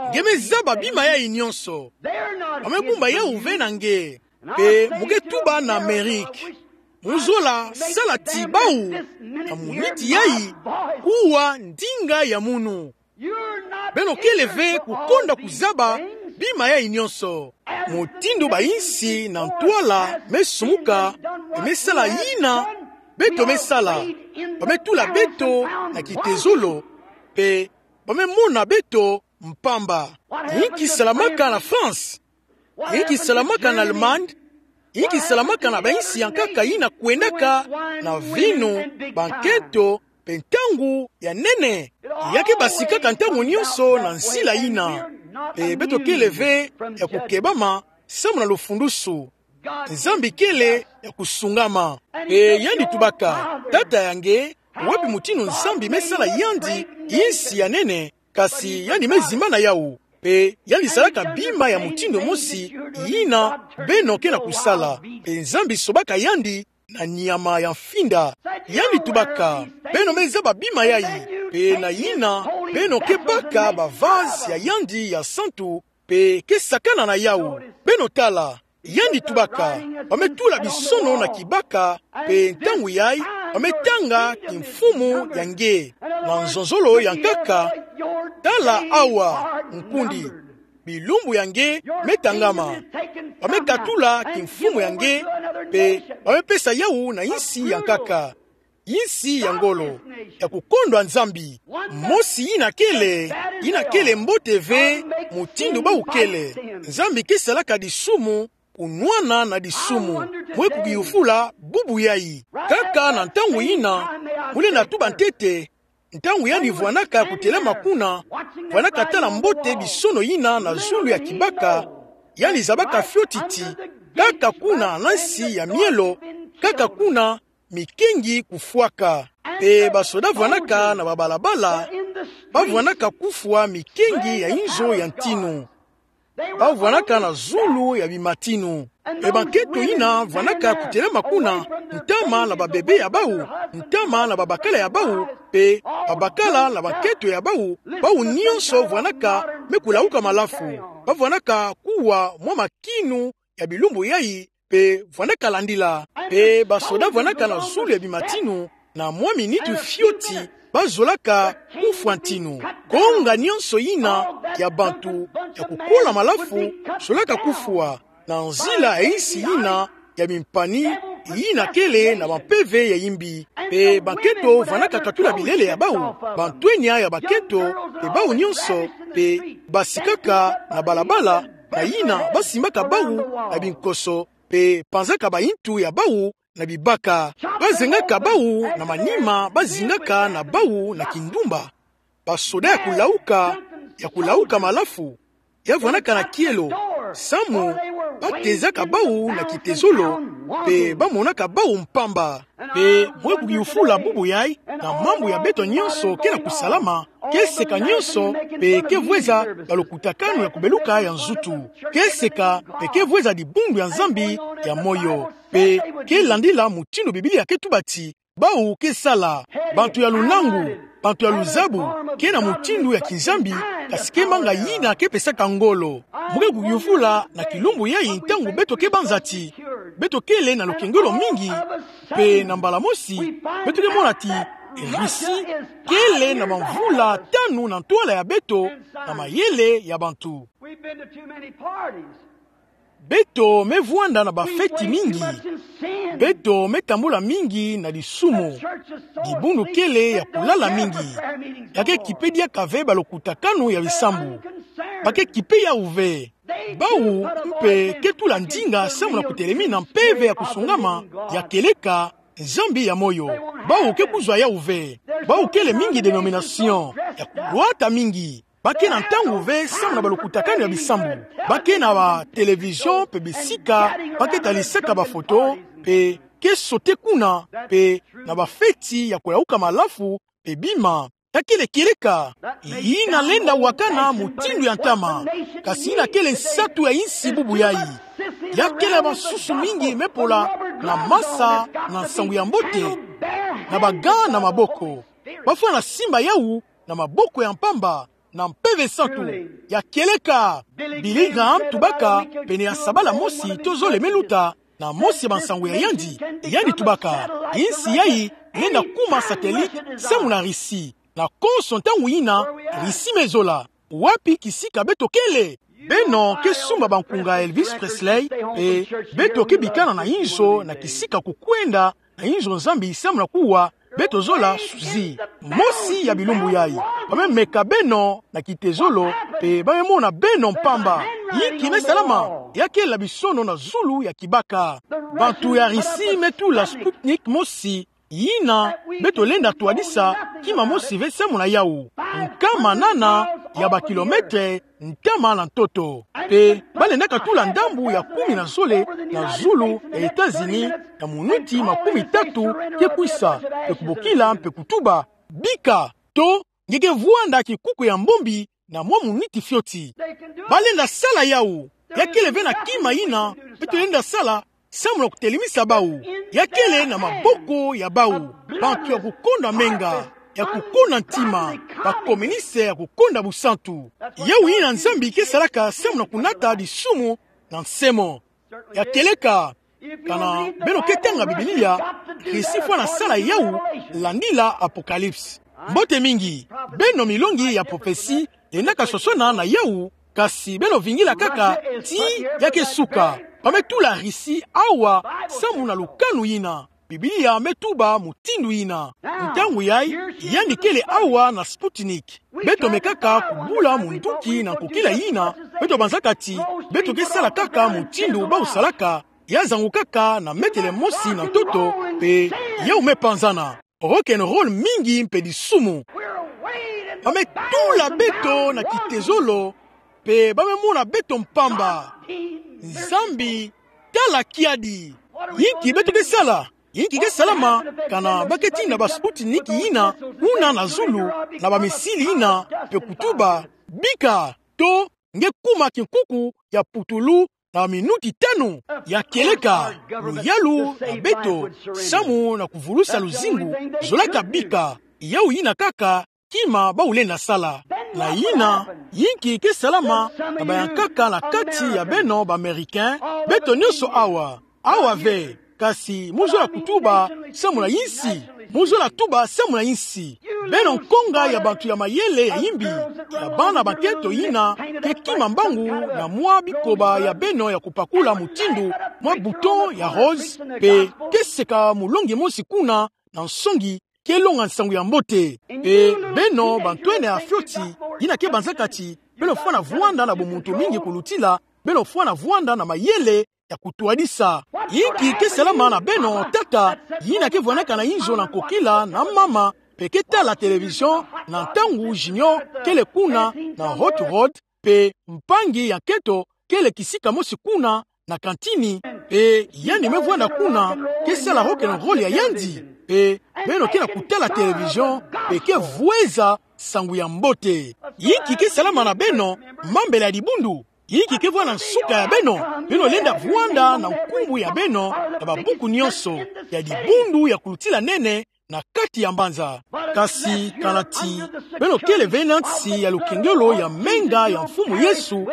nge me zaba bima yayi nyonso. Ba me bumba yawu ve na nge. Mpe mu ke tuba na Amerike: Mu zola sala ti bawu, na muniti yayi, kuwa ndinga ya munu. Beno kele ve kukonda kuzaba bima yayi nyonso. Mutindu bayinsi na ntwala me sumuka, mpe me sala yina beto me sala. Ba me tula beto na kitezolo, mpe ba me mona beto mpamba. Yinki salamaka na France? Yinki salamaka na Allemagne? Yinki salamaka na bayinsi ya nkaka yina kwendaka na vinu, banketo, mpe ntangu ya nene? Ya ke basikaka ntangu nyonso na nzila yina. Mpe beto kele ve ya kukebama samu na lufundusu. Nzambi kele ya kusungama. Mpe yandi tubaka: Tata ya nge, wapi mutindu Nzambi me sala yandi yinsi ya nene? Kasi yandi me zimbana yawu. Mpe yandi salaka bima ya mutindu mosi yina beno ke na kusala. Mpe Nzambi sobaka yandi na nyama ya mfinda. Yandi tubaka: Beno me zaba bima yayi. Mpe na yina, beno ke baka bavaze ya yandi ya santu, mpe ke sakana na yawu. Beno tala, yandi tubaka: Ba me tula bisono na kibaka, mpe ntangu yayi, ba me tanga kimfumu ya nge. Na nzonzolo ya nkaka, tala awa, nkundi, bilumbu ya nge me tangama. Ba me katula kimfumu ya nge, mpe ba me pesa yawu na yinsi ya nkaka. Yinsi ya ngolo, ya kukondwa Nzambi. Mosi yina kele, yina kele mbote ve, mutindu bawu kele. Nzambi ke salaka disumu kunwana na disumu. Mwe kukiyufula bubu yayi. Kaka na ntangu yina, mu lenda tuba ntete, ntangu yandi vwanaka kutelama kuna, vwanaka tala mbote bisono yina na zulu ya kibaka, yandi zabaka fioti ti, kaka kuna na nsi ya mielo, kaka kuna mikengi kufwaka. Mpe basoda vwanaka na babalabala, ba vwanaka kufwa mikengi ya inzo ya ntinu. Ba vwanaka na zulu ya bimatinu. Mpe banketo yina vwanaka kutelama kuna, ntama na babebe ya bawu, ntama na babakala ya bawu, mpe babakala na banketo ya bawu, bawu nyonso vwanaka me kulauka malafu. Ba vwanaka kuwa mwa makinu ya bilumbu yayi, mpe vwanaka landila. Mpe basoda vwanaka na zulu ya bimatinu, na mwa miniti fioti, ba zolaka kufwa ntinu. Konga nyonso yina ya bantu ya kukola malafu zolaka kufwa, na nzila ya yinsi yina ya mimpani, yina kele na bampeve ya yimbi. Mpe banketo vwanaka katula bilele ya bawu, bantwenya ya banketo, mpe bawu nyonso, mpe basikaka na balabala, na yina ba simbaka bawu na binkoso, mpe panzaka bayintu ya bawu na bibaka. Ba zengaka bawu na manima, ba zingaka na bawu na kindumba. Basoda ya kulauka, ya kulauka malafu, ya vwanaka na kielo, Samu batezaka bawu na kitezolo, mpe bamonaka bawu mpamba. Mpe mwe kuyufula bubu yayi, na mambu ya beto nyonso ke na kusalama, ke seka nyonso, mpe ke vweza balokutakanu ya kubeluka ya nzutu. Ke seka, mpe ke vweza dibundu ya Nzambi ya moyo. Mpe ke landila mutindu Biblia ke tuba ti bawu ke sala. Bantu ya lunangu, bantu ya luzabu, ke na mutindu ya kinzambi, kasi ke manga yina ke pesaka ngolo. Mwe kuyufula na kilumbu yayi ntangu beto ke banza ti beto kele na lukengelo mingi, mpe na mbala mosi, beto ke mona ti Russie kele na bamvula tanu na ntwala ya beto na mayele ya bantu. We've been to too many parties. Beto me vwanda na bafeti mingi. Beto me tambula mingi na lisumu. Dibundu kele ya kulala mingi. Ya ke kipe diaka ve balokutakanu ya bisambu. Ba ke kipe yawu ve. Bawu mpe ke tula ndinga samu na kutelemina mpeve ya kusungama, ya kieleka, Nzambi ya moyo. Bawu ke kuzwa yawu ve. Bawu kele mingi dénomination ya kulwata mingi. Ba ke na ntangu ve samu na balokutakanu ya bisambu. Ba ke na ba télévision mpe bisika ba ke talisaka bafoto, mpe ke sauter kuna, mpe na bafeti ya kuyawuka malafu, mpe bima. Ya kele kieleka, yina lenda wakana mutindu ya ntama, kasi yina kele nsatu ya insi bubu yayi. Ya kele basusu mingi me pola na masa na nsangu ya mbote, na ba gants na maboko. Ba fwana simba yawu na maboko ya mpamba, na Mpeve Santu. Ya kieleka, Billy Graham tubaka, pene ya sabala mosi to zole me luta, na mosi ya bansangu ya yandi, yandi tubaka: Insi yayi lenda kuma satellite samu na Russie. Na konso ntangu yina, Russie me zola. Wapi kisika beto kele? Beno ke sumba bankunga Elvis Presley, mpe beto ke bikana na inzo na kisika kukwenda na inzo Nzambi samu na kuwa, beto zola Susie. Mosi ya bilumbu yayi, ba me meka beno na kitezolo, mpe ba me mona beno mpamba. Inki me salama? Ya kele bisono na zulu ya kibaka. Bantu ya Russie me tula Sputnik mosi, yina beto lenda twadisa kima mosi ve samu na yawu. Nkama nana ya bakilometre ntama na ntoto. Mpe ba lendaka tula ndambu ya kumi na zole na zulu ya États-Unis na minuti makumi tatu ke kwisa, mpe kubokila mpe kutuba: Bika, to nge ke vwanda kinkuku ya mbombi na mwa minuti fioti. Ba lenda sala yawu. Ya kele ve na kima yina beto lenda sala samu na kutelemisa bawu. Ya kele na maboko ya bawu, bantu ya kukonda menga, ya kukonda ntima, bakoministe ya kukonda busantu. Yawu yina Nzambi ke salaka samu na kunata disumu na nsemo. Ya kieleka, kana beno ke tanga Biblia, Russie fwana sala yawu, landila Apocalypse. Mbote mingi, beno milongi ya prophetie lendaka sosona na yawu, kasi beno vingila kaka ti ya ke suka. Ba me tula Russie awa samu na lukanu yina. Biblia me tuba mutindu yina. Ntangu yayi, yandi kele awa na Sputnik. Beto mekaka kubula munduki na nkokila yina. Beto banzaka ti beto ke sala kaka mutindu bawu salaka, ya zangukaka na metele mosi na ntoto, mpe yawu me panzana. Rock and roll mingi mpe disumu. Ba me tula beto na kitezolo, mpe ba me mona beto mpamba. Nzambi, tala kiadi. Inki beto ke sala? Inki ke salama, kana ba ke tinda ba Sputnik yina kuna na zulu na bamisili yina, mpe kutuba: Bika, to nge kuma kinkuku ya putulu na minuti tanu? Ya kieleka, luyalu na beto samu na kuvulusa luzingu, zolaka bika. Yawu yina kaka kima bawu lenda sala. Na yina, inki ke salama na bayankaka na kati ya beno ba Américains, beto nyonso awa? Awa ve, kasi mu zola kutuba samu na insi. Mu zola tuba samu na insi. Beno nkonga ya bantu ya mayele ya imbi, ya bana bankento yina ke kima mbangu na mwa bikoba ya beno ya kupakula mutindu mwa bouton ya rose, mpe ke seka mulongi mosi kuna na nsongi ke longa nsangu ya mbote. Mpe beno bantwenia fioti yina ke banzaka ti beno fwana vwanda na bumuntu mingi kulutila, beno fwana vwanda na mayele ya kutwadisa. Inki ke salama na beno tata yina ke vwanaka na inzo na nkokila na mama, mpe ke tala télévision na ntangu Junior kele kuna na Hot Rod, mpe mpangi ya nkento kele kisika mosi kuna na kantini, mpe yandi me vwanda kuna, ke sala rock and roll ya yandi, mpe beno ke na kutala télévision, mpe ke vweza nsangu ya mbote. Inki ke salama na beno, mambela ya dibundu? Inki ke vwanda nsuka ya beno? Beno lenda vwanda na nkumbu ya beno na babuku nyonso ya dibundu ya kulutila nene na kati ya mbanza. Kasi kana ti beno kele ve na nsi ya lukengelo ya menga ya Mfumu Yesu,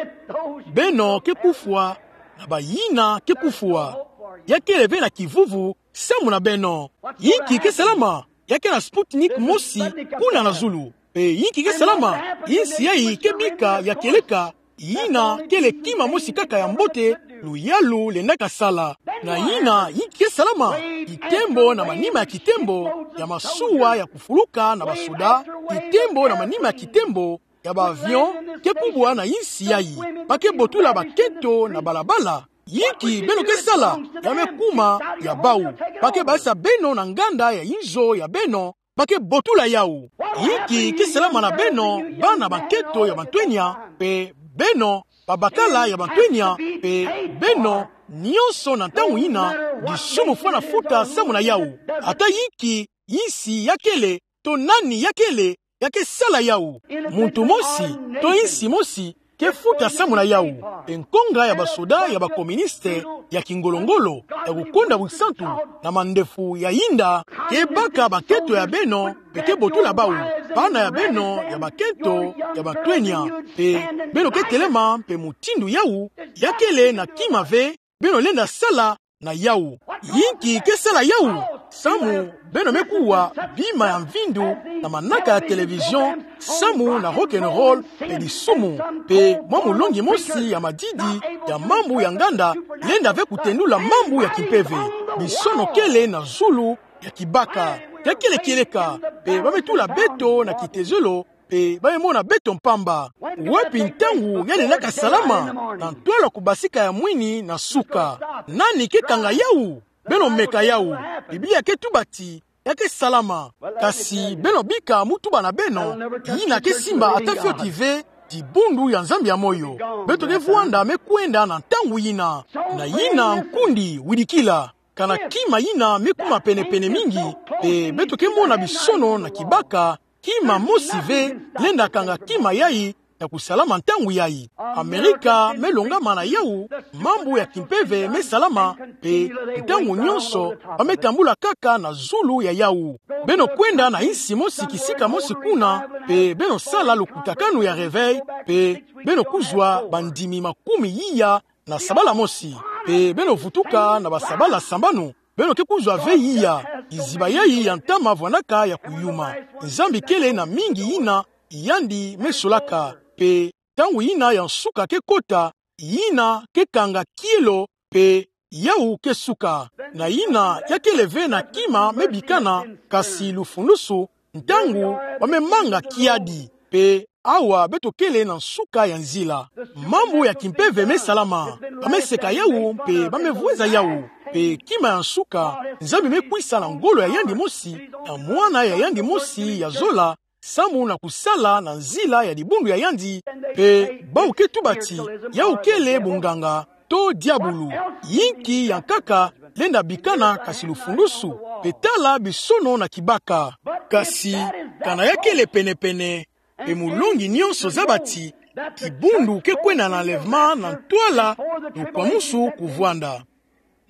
beno ke kufwa, na bayina ke kufwa. Ya kele ve na kivuvu samu na beno. Inki ke salama? Ya ke na Sputnik mosi kuna na zulu. Mpe inki ke salama? Insi yayi ke bika ya kieleka, yina kele kima mosi kaka ya mbote luyalu lendaka sala. Na yina, inki ke salama? Kitembo na manima ya kitembo ya masuwa ya kufuluka na basoda, kitembo na manima ya kitembo ya ba avion ke kubwa na insi yayi. Ba ke botula bakento na balabala. Inki beno ke sala? Ya me kuma ya bau. Ba ke baza beno na nganda ya inzo ya beno, ba ke botula yawu. Inki ke salama na beno, bana bakento ya bantwenya, mpe beno babakala ya bantwenya, mpe beno nyonso na ntangu yina, disumu fwana futa samu na yawu. Ata inki insi ya kele, to nani ya kele, ya ke sala yawu. Muntu mosi, to insi mosi, ke futa samu na yawu. Mpe nkonga ya basoda ya bakoministe ya kingolongolo ya kukonda busantu na mandefu ya yinda ke baka bakento ya beno, mpe ke botula bawu, bana ya beno ya bakento ya bantwenya. Mpe beno ke telema, mpe mutindu yawu ya kele na kima ve, beno lenda sala na yawu. Inki ke sala yawu? Samu beno me kuwa bima ya mvindu na manaka ya télévision, samu na rock and roll, mpe disumu, mpe mwa mulongi mosi ya madidi ya mambu ya nganda lenda ve kutendula mambu ya kimpeve. Bisono kele na zulu ya kibaka. Ya kele kieleka, mpe ba me tula beto na kitezelo, mpe ba me mona beto mpamba. Wapi ntangu ya lendaka salama? Na ntwala kubasika ya mwini na suka. Nani ke kanga yawu? Beno meka yawu. Biblia ke tuba ti ya ke salama. Kasi beno bika mu tuba na beno, yina ke simba ata fioti ve dibundu ya Nzambi ya moyo. Beto ke vwanda me kwenda na ntangu yina. Na yina nkundi widikila. Kana kima yina me kuma penepene mingi, mpe beto ke mona bisono na kibaka, kima mosi ve lenda kanga kima yayi ya kusalama ntangu yayi. Amerika me longama na yawu, mambu ya kimpeve me salama, mpe ntangu nyonso ba me tambula kaka na zulu ya yawu. Beno kwenda na insi mosi kisika mosi kuna, mpe beno sala lukutakanu ya réveil, mpe beno kuzwa bandimi makumi iya na sabala mosi, mpe beno vutuka na basabala sambanu, beno ke kuzwa ve iya. Kiziba yayi ya ntama vwandaka ya kuyuma. Nzambi kele na mingi yina yandi me solaka, mpe ntangu yina ya nsuka ke kota, yina ke kanga kielo, mpe yawu ke suka. Na yina ya kele ve na kima me bikana, kasi lufulusu, ntangu ba me manga kiadi, mpe awa beto kele na nsuka ya nzila. Mambu ya kimpeve me salama. Ba me seka yawu, mpe ba me vweza yawu. Mpe kima ya nsuka, Nzambi me kwisa na ngolo ya yandi mosi, na mwana ya yandi mosi ya zola, samu na kusala na nzila ya dibundu ya yandi, mpe bawu ke tuba ti yawu kele bunganga, to diabulu. Inki ya nkaka lenda bikana kasi lufulusu, mpe tala bisono na kibaka. Kasi kana ya kele penepene, mpe mulongi nyonso zaba ti dibundu ke kwenda na enlèvement na ntwala lukwamusu kuvwanda.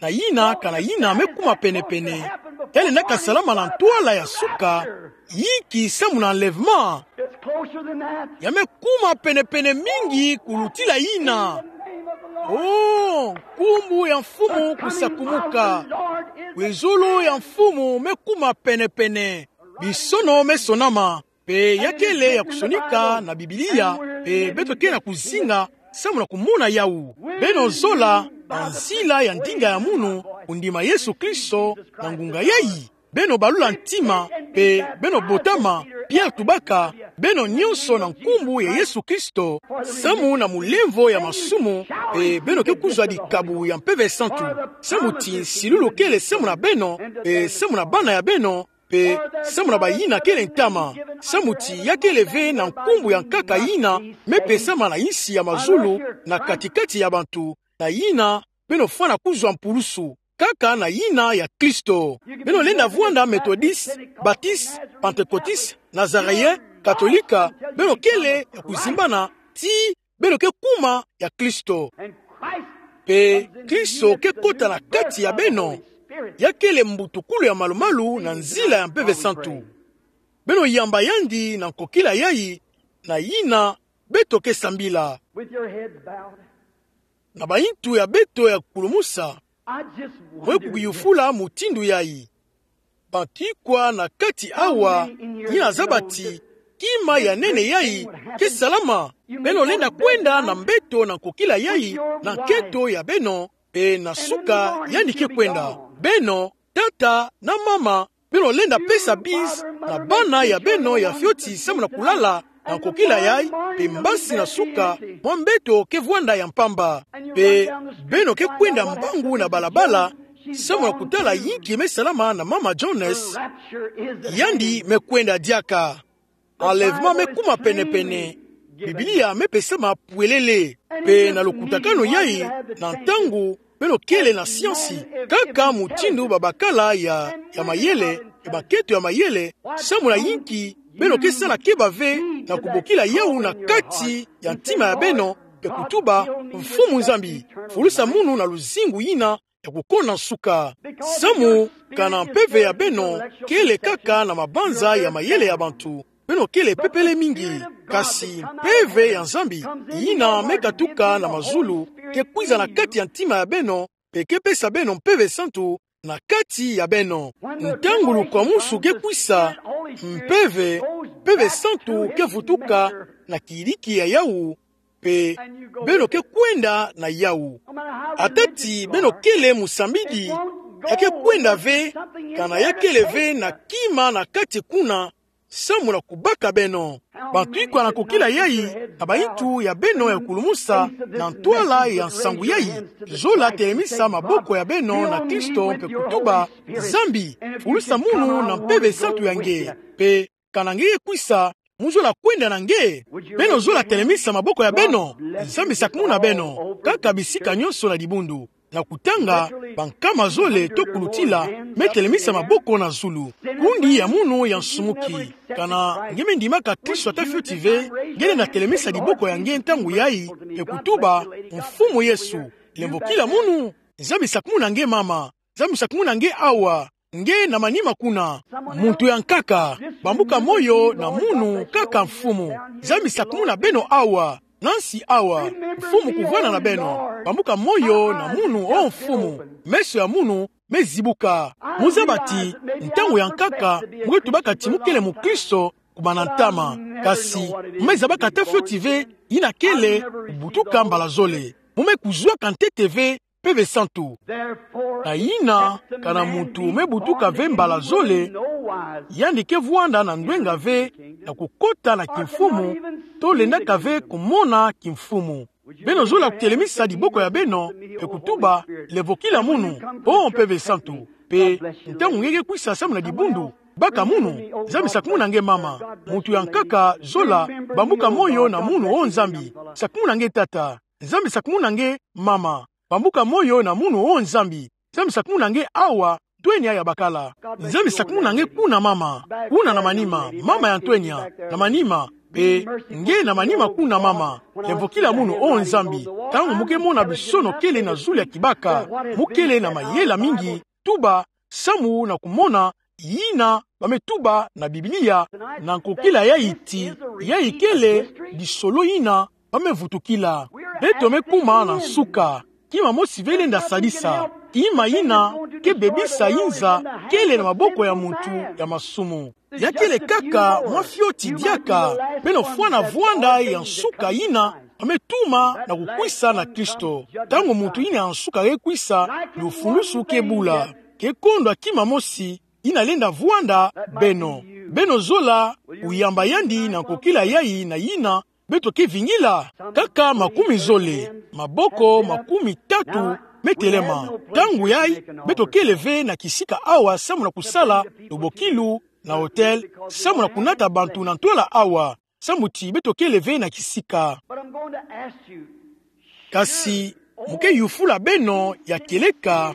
Na yina, kana yina me kuma penepene, ya lendaka salama na ntwala ya suka, inki samu na enlèvement? Ya me kuma penepene mingi kulutila yina. Oh, nkumbu ya Mfumu kusakumuka. Kwizulu ya Mfumu me kuma penepene. Bisono me sonama, mpe ya kele ya kusonika na Biblia, mpe beto ke na kuzinga samu na kumona yawu. Beno zola na nzila ya ndinga ya munu, kundima Yesu Kristo na ngunga yayi. Beno balula ntima, mpe beno botama. Pierre tubaka, beno nyonso na nkumbu ya Yesu Kristo, samu na mulemvo ya masumu, mpe beno ke kuzwa dikabu ya Mpeve Santu. Samu ti nsilulu kele samu na beno, mpe samu na bana ya beno, Pe samu na bayina kele ntama, samu ti ya kele ve na nkumbu ya nkaka yina mepesama na insi ya mazulu, na kati-kati ya bantu, na yina beno fwana kuzwa mpulusu, kaka na yina ya Kristo. Beno lenda vwanda Methodiste, Baptiste, Pentecôtiste, Nazaréen, Katolika, beno kele ya kuzimbana, ti beno ke kuma ya Kristo. Pe Kristo ke kota na kati ya beno, ya kele mbutukulu ya malu-malu na nzila ya Mpeve Santu. Beno yamba yandi na nkokila yai, na yina beto ke sambila. Na bayintu ya beto ya kulumusa, mwe kukiyufula mutindu yai. Bantu ikwa na kati awa yina zaba ti kima ya nene yai ke salama? Beno lenda kwenda na mbeto na nkokila yai, na nkento ya beno, pe na suka yandi ke kwenda. Beno, tata na mama, beno lenda pesa bise na bana ya beno ya fioti samu na kulala na nkokila yai, pe mbasi na suka mwa mbeto ke vwanda ya mpamba. Pe beno ke kwenda mbangu na balabala samu na kutala yinki me salama na mama Jones. Yandi me kwenda diaka. Enlèvement me kuma pene-pene. Biblia me pesama pwelele. Pe na lukutakanu yai, na ntangu beno kele na siansi, kaka mutindu babakala ya, ya mayele, pe bakento ya mayele, samu na yinki beno ke sala keba ve na kubokila yawu na kati ya ntima ya beno, pe kutuba: Mfumu Nzambi, fulusa munu na luzingu yina ya kukona nsuka. Samu kana mpeve ya beno kele kaka na mabanza ya mayele ya bantu, beno kele pepele mingi. Kasi mpeve ya Nzambi, yina me katuka na mazulu, ke kwiza na kati ya ntima ya beno, pe ke pesa beno Mpeve Santu na kati ya beno. Ntangu lukwamusu ke kwisa, mpeve, Mpeve Santu ke vutuka na kiyidiki ya yawu, pe beno ke kwenda na yawu. Ata ti beno kele musambidi, ya ke kwenda ve kana ya kele ve na kima na kati kuna, samu na kubaka beno. Bantu ikwa na nkokila yai, na bayintu ya beno ya kulumusa na ntwala ya nsangu yai, zola telemisa maboko ya beno na Kristo pe kutuba: Nzambi, fulusa munu na Mpeve Santu ya nge. Pe kana nge ke kwisa, mu zola kwenda na nge? Beno zola telemisa maboko ya beno? Nzambi sakumuna beno, kaka bisika nyonso na dibundu. Na kutanga, bankama zole to kulutila me telemisa maboko na zulu. Kundi ya munu ya nsumuki. Kana nge me ndimaka Kristo ata fioti ve, nge lenda telemisa diboko ya nge ntangu yai, pe kutuba: Mfumu Yesu, lemvokila munu. Nzambi sakumuna nge mama. Nzambi sakumuna nge awa. Nge na manima kuna. Muntu ya nkaka, bambuka moyo na munu kaka Mfumu. Nzambi sakumuna beno awa, na nsi awa. Mfumu kuvwanda na beno. Bambuka moyo na munu, o Mfumu. Meso ya munu me zibuka. Mu zaba ti, ntangu ya nkaka, mu ke tubaka ti mu kele mukristo, kumana ntama. Kasi, mu me zabaka ata fioti ve yina kele kubutuka mbala zole. Mu me kuzwaka ntete ve Mpeve Santu. Na yina, kana muntu me butuka ve mbala zole, yandi ke vwanda na ndwenga ve na kukota na kimfumu, to lendaka ve kumona kimfumu. Beno zola kutelemisa diboko ya beno, pe kutuba: Lemvokila munu, o Mpeve Santu. Pe ntangu nge ke kwisa samu na dibundu, baka munu. Nzambi sakumuna nge mama. Muntu ya nkaka, zola, bambuka moyo na munu, o Nzambi. Sakumuna nge tata. Nzambi sakumuna nge mama. Bambuka moyo na munu, o Nzambi. Nzambi sakumuna nge awa, ntwenya ya bakala. Nzambi sakumuna nge kuna mama. Kuna na manima, mama ya ntwenya, na manima. Pe nge na manima kuna mama. Lemvokila munu, o Nzambi. Ntangu mu ke mona bisono kele na zulu ya kibaka, mu kele na mayela mingi, tuba, samu na kumona yina ba me tuba na Biblia, na nkokila yai ti, yai kele lisolo yina ba me vutukila. Beto me kuma na nsuka. Kima mosi ve lenda sadisa. Kima yina ke bebisa yinza kele na maboko ya muntu ya masumu. Ya kele kaka mwa fioti diaka, beno fwana vwanda ya nsuka yina ba me tuma na kukwisa na Kristo. Ntangu muntu yina ya nsuka ke kwisa, lufulusu ke bula. Ke kondwa kima mosi yina lenda vwanda beno. Beno zola kuyamba yandi na nkokila yai na yina beto ke vingila. Kaka makumi zole, maboko makumi tatu me telema. Ntangu yai, beto kele ve na kisika awa samu na kusala lubokilu na hotel, samu na kunata bantu na ntwala awa. Samu ti beto kele ve na kisika. But I'm going to ask you, kasi, mu ke yufula beno ya kieleka,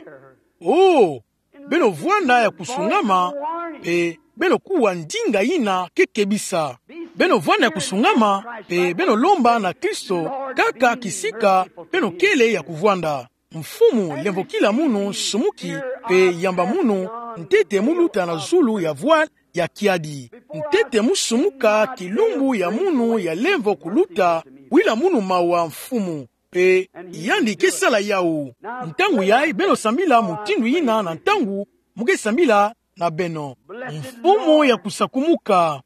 oh, beno vwanda ya kusungama, mpe beno kuwa ndinga yina ke kebisa. Beno vwanda ya kusungama, mpe beno lomba na Kristo, kaka kisika beno kele ya kuvwanda. Mfumu, lemvokila munu sumuki, mpe yamba munu ntete mu luta na zulu ya voile ya kiadi. Ntete mu sumuka kilumbu ya munu ya lemvo kuluta, wila munu mawa, Mfumu. Mpe yandi ke sala yawu. Ntangu yai beno sambila mutindu yina na ntangu mu ke sambila na beno. Mfumu ya kusakumuka.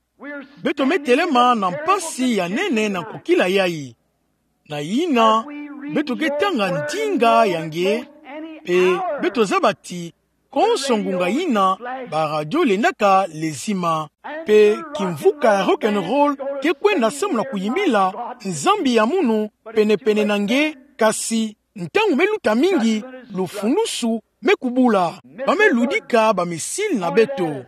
Beto me telema na mpasi ya nene na nkokila yai. Na yina, beto ke tanga ndinga ya nge, mpe beto zaba ti, konso ngunga yina, ba radio lendaka lezima. Mpe kimvuka ya rock and roll ke kwenda samu na kuyimbila Nzambi ya munu pene-pene na nge, kasi ntangu me luta mingi, lufulusu me kubula. Ba me ludika ba missile na beto.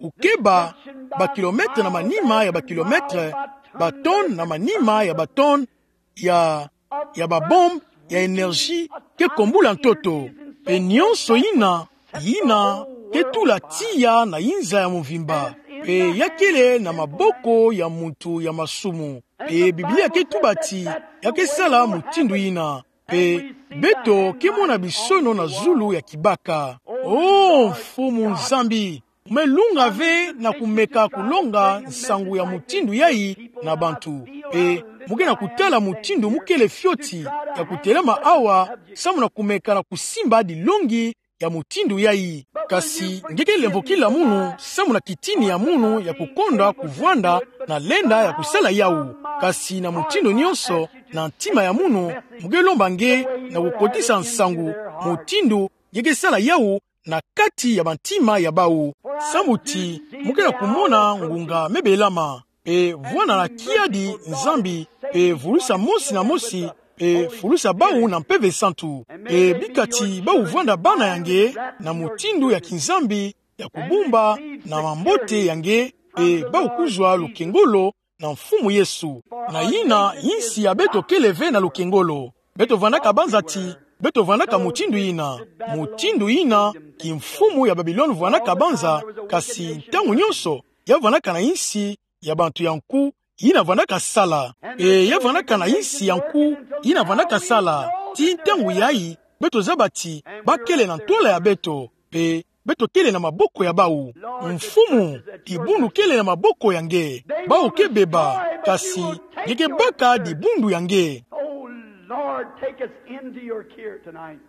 Ukeba, ba kilomètre na manima ya ba kilomètre, ba tonne na manima ya ba tonne ya, ya ba bombe ya énergie ke kombula ntoto. Mpe nyonso yina, yina ke tula tiya na yinza ya mvimba. Mpe ya kele na maboko ya muntu ya masumu. Mpe Biblia ke tuba ti, ya ke sala mutindu yina. Mpe beto ke mona bisono na zulu ya kibaka. Oh, Mfumu Nzambi, mu me lunga ve na kumeka kulonga nsangu ya mutindu yai na bantu. Mpe mu ke na kutala mutindu mu kele fioti ya kutelema awa, samu na kumeka na kusimba dilongi ya mutindu yai. Kasi nge ke lemvokila munu samu na kitini ya munu ya kukondwa kuvwanda na lenda ya kusala yawu. Kasi na mutindu nyonso, na ntima ya munu, mu ke lomba nge na kukotisa nsangu, mutindu nge ke sala yawu na kati ya bantima ya bawu. Samu ti mu ke na kumona ngunga me belama. Mpe vwanda na kiadi, Nzambi, mpe vulusa mosi na mosi, mpe fulusa bawu na Mpeve Santu. Mpe bika ti bawu vwanda bana ya nge na mutindu ya kinzambi, ya kubumba, na mambote ya nge, mpe bawu kuzwa lukengolo na Mfumu Yesu. Na yina, insi ya beto kele ve na lukengolo. Beto vwandaka banza ti, beto vwandaka mutindu yina. Mutindu yina, kimfumu ya Babilone vwandaka banza, kasi ntangu nyonso, ya vwandaka na insi ya bantu ya nku, yina vwandaka sala. Mpe ya vwandaka na insi ya nku, yina vwandaka sala. Ti ntangu yai, beto zaba ti, ba kele na ntwala ya beto. Mpe beto kele na maboko ya bawu. Mfumu, dibundu kele na maboko ya nge. Bawu ke beba, kasi nge ke baka dibundu ya nge. Oh Lord, take us into your care tonight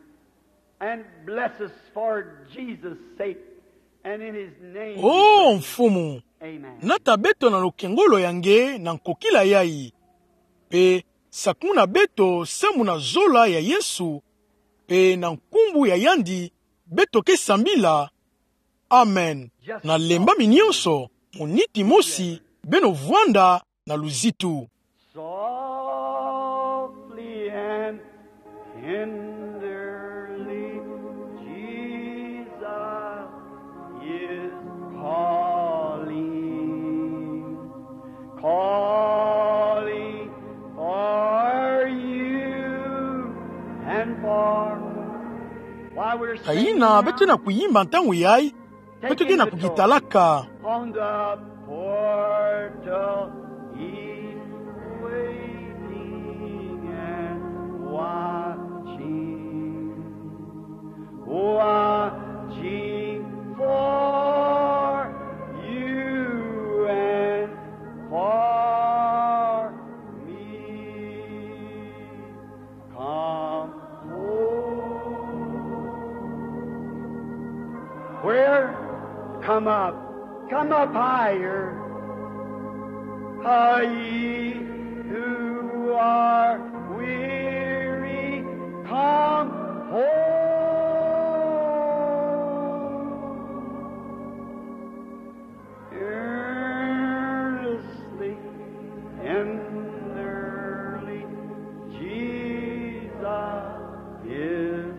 and bless us for Jesus' sake and in his name. Oh, Mfumu, amen. Nata beto na lukengolo ya nge na nkokila yai. Mpe sakumuna beto samu na zola ya Yesu, mpe na nkumbu ya yandi beto ke sambila. Amen. Na lembami nyonso, muniti mosi, beno vwanda na luzitu. Softly and tenderly, Jesus is calling, calling for you and for me. While we're singing now, ka yina beto ke na kuyimba ntangu yai, beto ke na kukitalaka. On the portal he's waiting and watching, watching for you and for me. Come home. Where? Come up. Come up higher. Ah, ye who are weary, come home. Earnestly, tenderly, Jesus is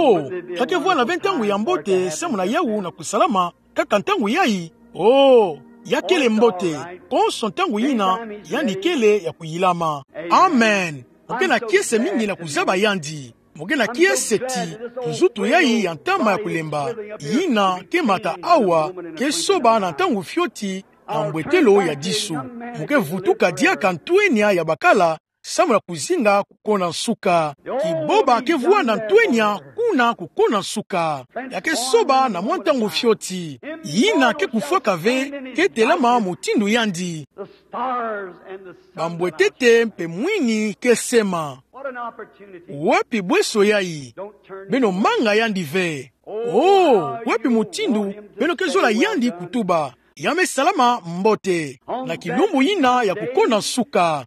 Oh, ya ke vwanda ve ntangu ya mbote samu na yawu na kusalama kaka ntangu yayi? Oh, ya kele mbote, konso ntangu yina yandi kele ya kuyilama. Amen. Mo ke na kiese mingi na kuzaba yandi. Mo ke na kiese ti nzutu yayi ya ntama ya kulemba, yina ke mata awa, ke soba na ntangu fioti na mbwetelo ya disu. Mo ke vutuka diaka ntwenya ya bakala samu na kuzinga kukona nsuka. Kiboba ke vwanda ntwenya kuna kukona nsuka. Ya ke soba na mwa ntangu fioti. Yina ke kufwaka ve, ke telama mutindu yandi. Bambwetete mpe mwini ke sema. Wapi bweso yayi? Beno manga yandi ve. Oh, wapi mutindu beno ke zola yandi kutuba? Ya me salama mbote na kilumbu yina ya kukona nsuka.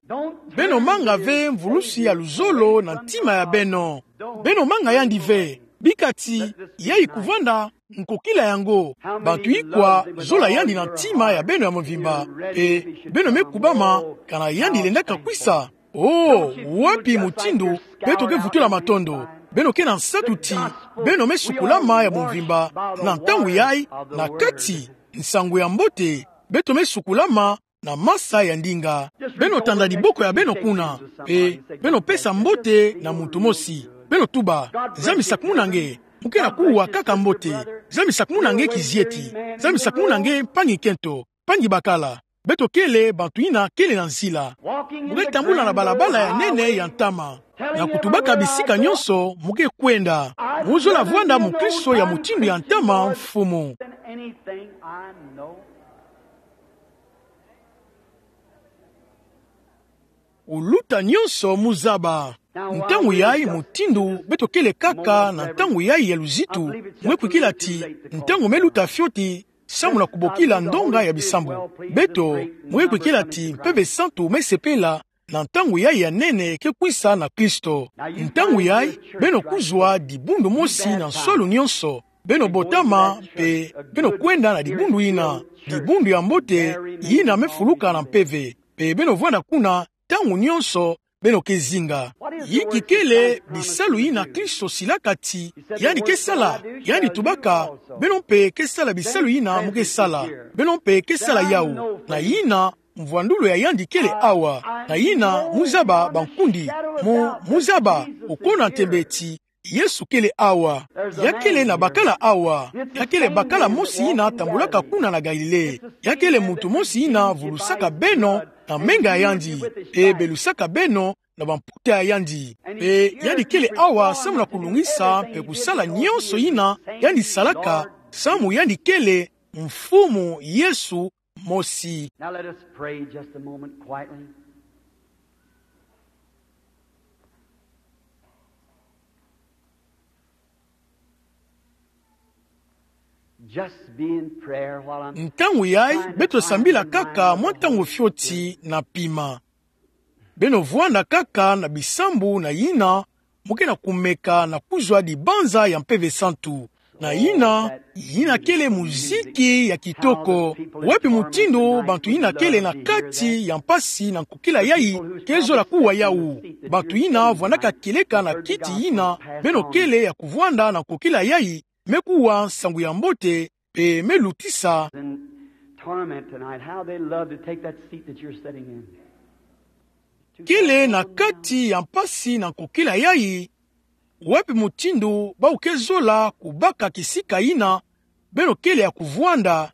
Beno manga ve mvulusi ya luzolo na ntima ya beno. Beno manga yandi ve. Bika ti yayi kuvwanda nkokila yango. Bantu ikwa zola yandi na ntima ya beno ya mvimba? Mpe beno me kubama kana yandi lendaka kwisa? Oh, wapi mutindu beto ke vutula matondo? Beno ke na nsatu ti beno me sukulama ya mvimba na ntangu yayi, na kati nsangu ya mbote. Beto me sukulama na masa ya ndinga. Beno tanda diboko ya beno kuna, mpe beno pesa mbote na muntu mosi. Beno tuba: Nzambi sakumuna nge. Mo ke na kuwa kaka mbote. Nzambi sakumuna nge kizieti. Nzambi sakumuna nge mpangi kento, mpangi bakala. Beto kele bantu yina kele na nzila. Mo ke tambula na balabala ya nene ya ntama, na kutubaka bisika nyonso mo ke kwenda. Mo zola vwanda mukristo ya mutindu ya ntama, mfumu. Uluta nyonso mo zaba. Ntangu yayi, mutindu beto kele kaka na ntangu yayi ya luzitu, mo ke kwikila ti ntangu me luta fioti samu na kubokila ndonga ya bisambu. Beto, mo ke kwikila ti Mpeve Santu me sepela na ntangu yayi ya nene ke kwisa na Kristo. Ntangu yayi, beno kuzwa dibundu mosi na nswalu nyonso. Beno botama mpe beno kwenda na dibundu yina, dibundu ya mbote yina me fuluka na mpeve. Mpe beno vwanda kuna ntangu nyonso beno ke zinga. Inki kele bisalu yina Kristo silaka ti yandi ke sala? Yandi tubaka: Beno mpe ke sala bisalu yina mo ke sala. Beno mpe ke sala yawu. Na yina mvwandulu ya yandi kele awa. Na yina mo zaba bankundi, mo, mo zaba, okona ntembe ti Yesu kele awa. Ya kele na bakala awa. Ya kele bakala mosi yina tambulaka kuna na Galile. Ya kele muntu mosi yina vulusaka beno na menga ya yandi, mpe belusaka beno na bamputa ya yandi. Mpe yandi kele awa samu na kulungisa mpe kusala nyonso yina yandi salaka, samu yandi kele Mfumu Yesu mosi. Now let us pray just a moment quietly. Just be in prayer while I'm Ntangu yayi, beto sambila kaka mwa ntangu fioti na pima. Beno vwanda kaka na bisambu na yina mo ke na kumeka na kuzwa dibanza ya Mpeve Santu. Na yina, yina kele muziki ya kitoko. Wapi mutindu bantu yina kele na kati ya mpasi na nkokila yayi ke zola kuwa yawu? Bantu yina vwandaka kieleka na kiti yina beno kele ya kuvwanda na nkokila yayi, me kuwa nsangu ya mbote, mpe me lutisa. And torment tonight, how they love to take that seat that you're sitting in. Kele na kati ya mpasi na nkokila yayi, wapi mutindu bawu ke zola kubaka kisika yina beno kele ya kuvwanda,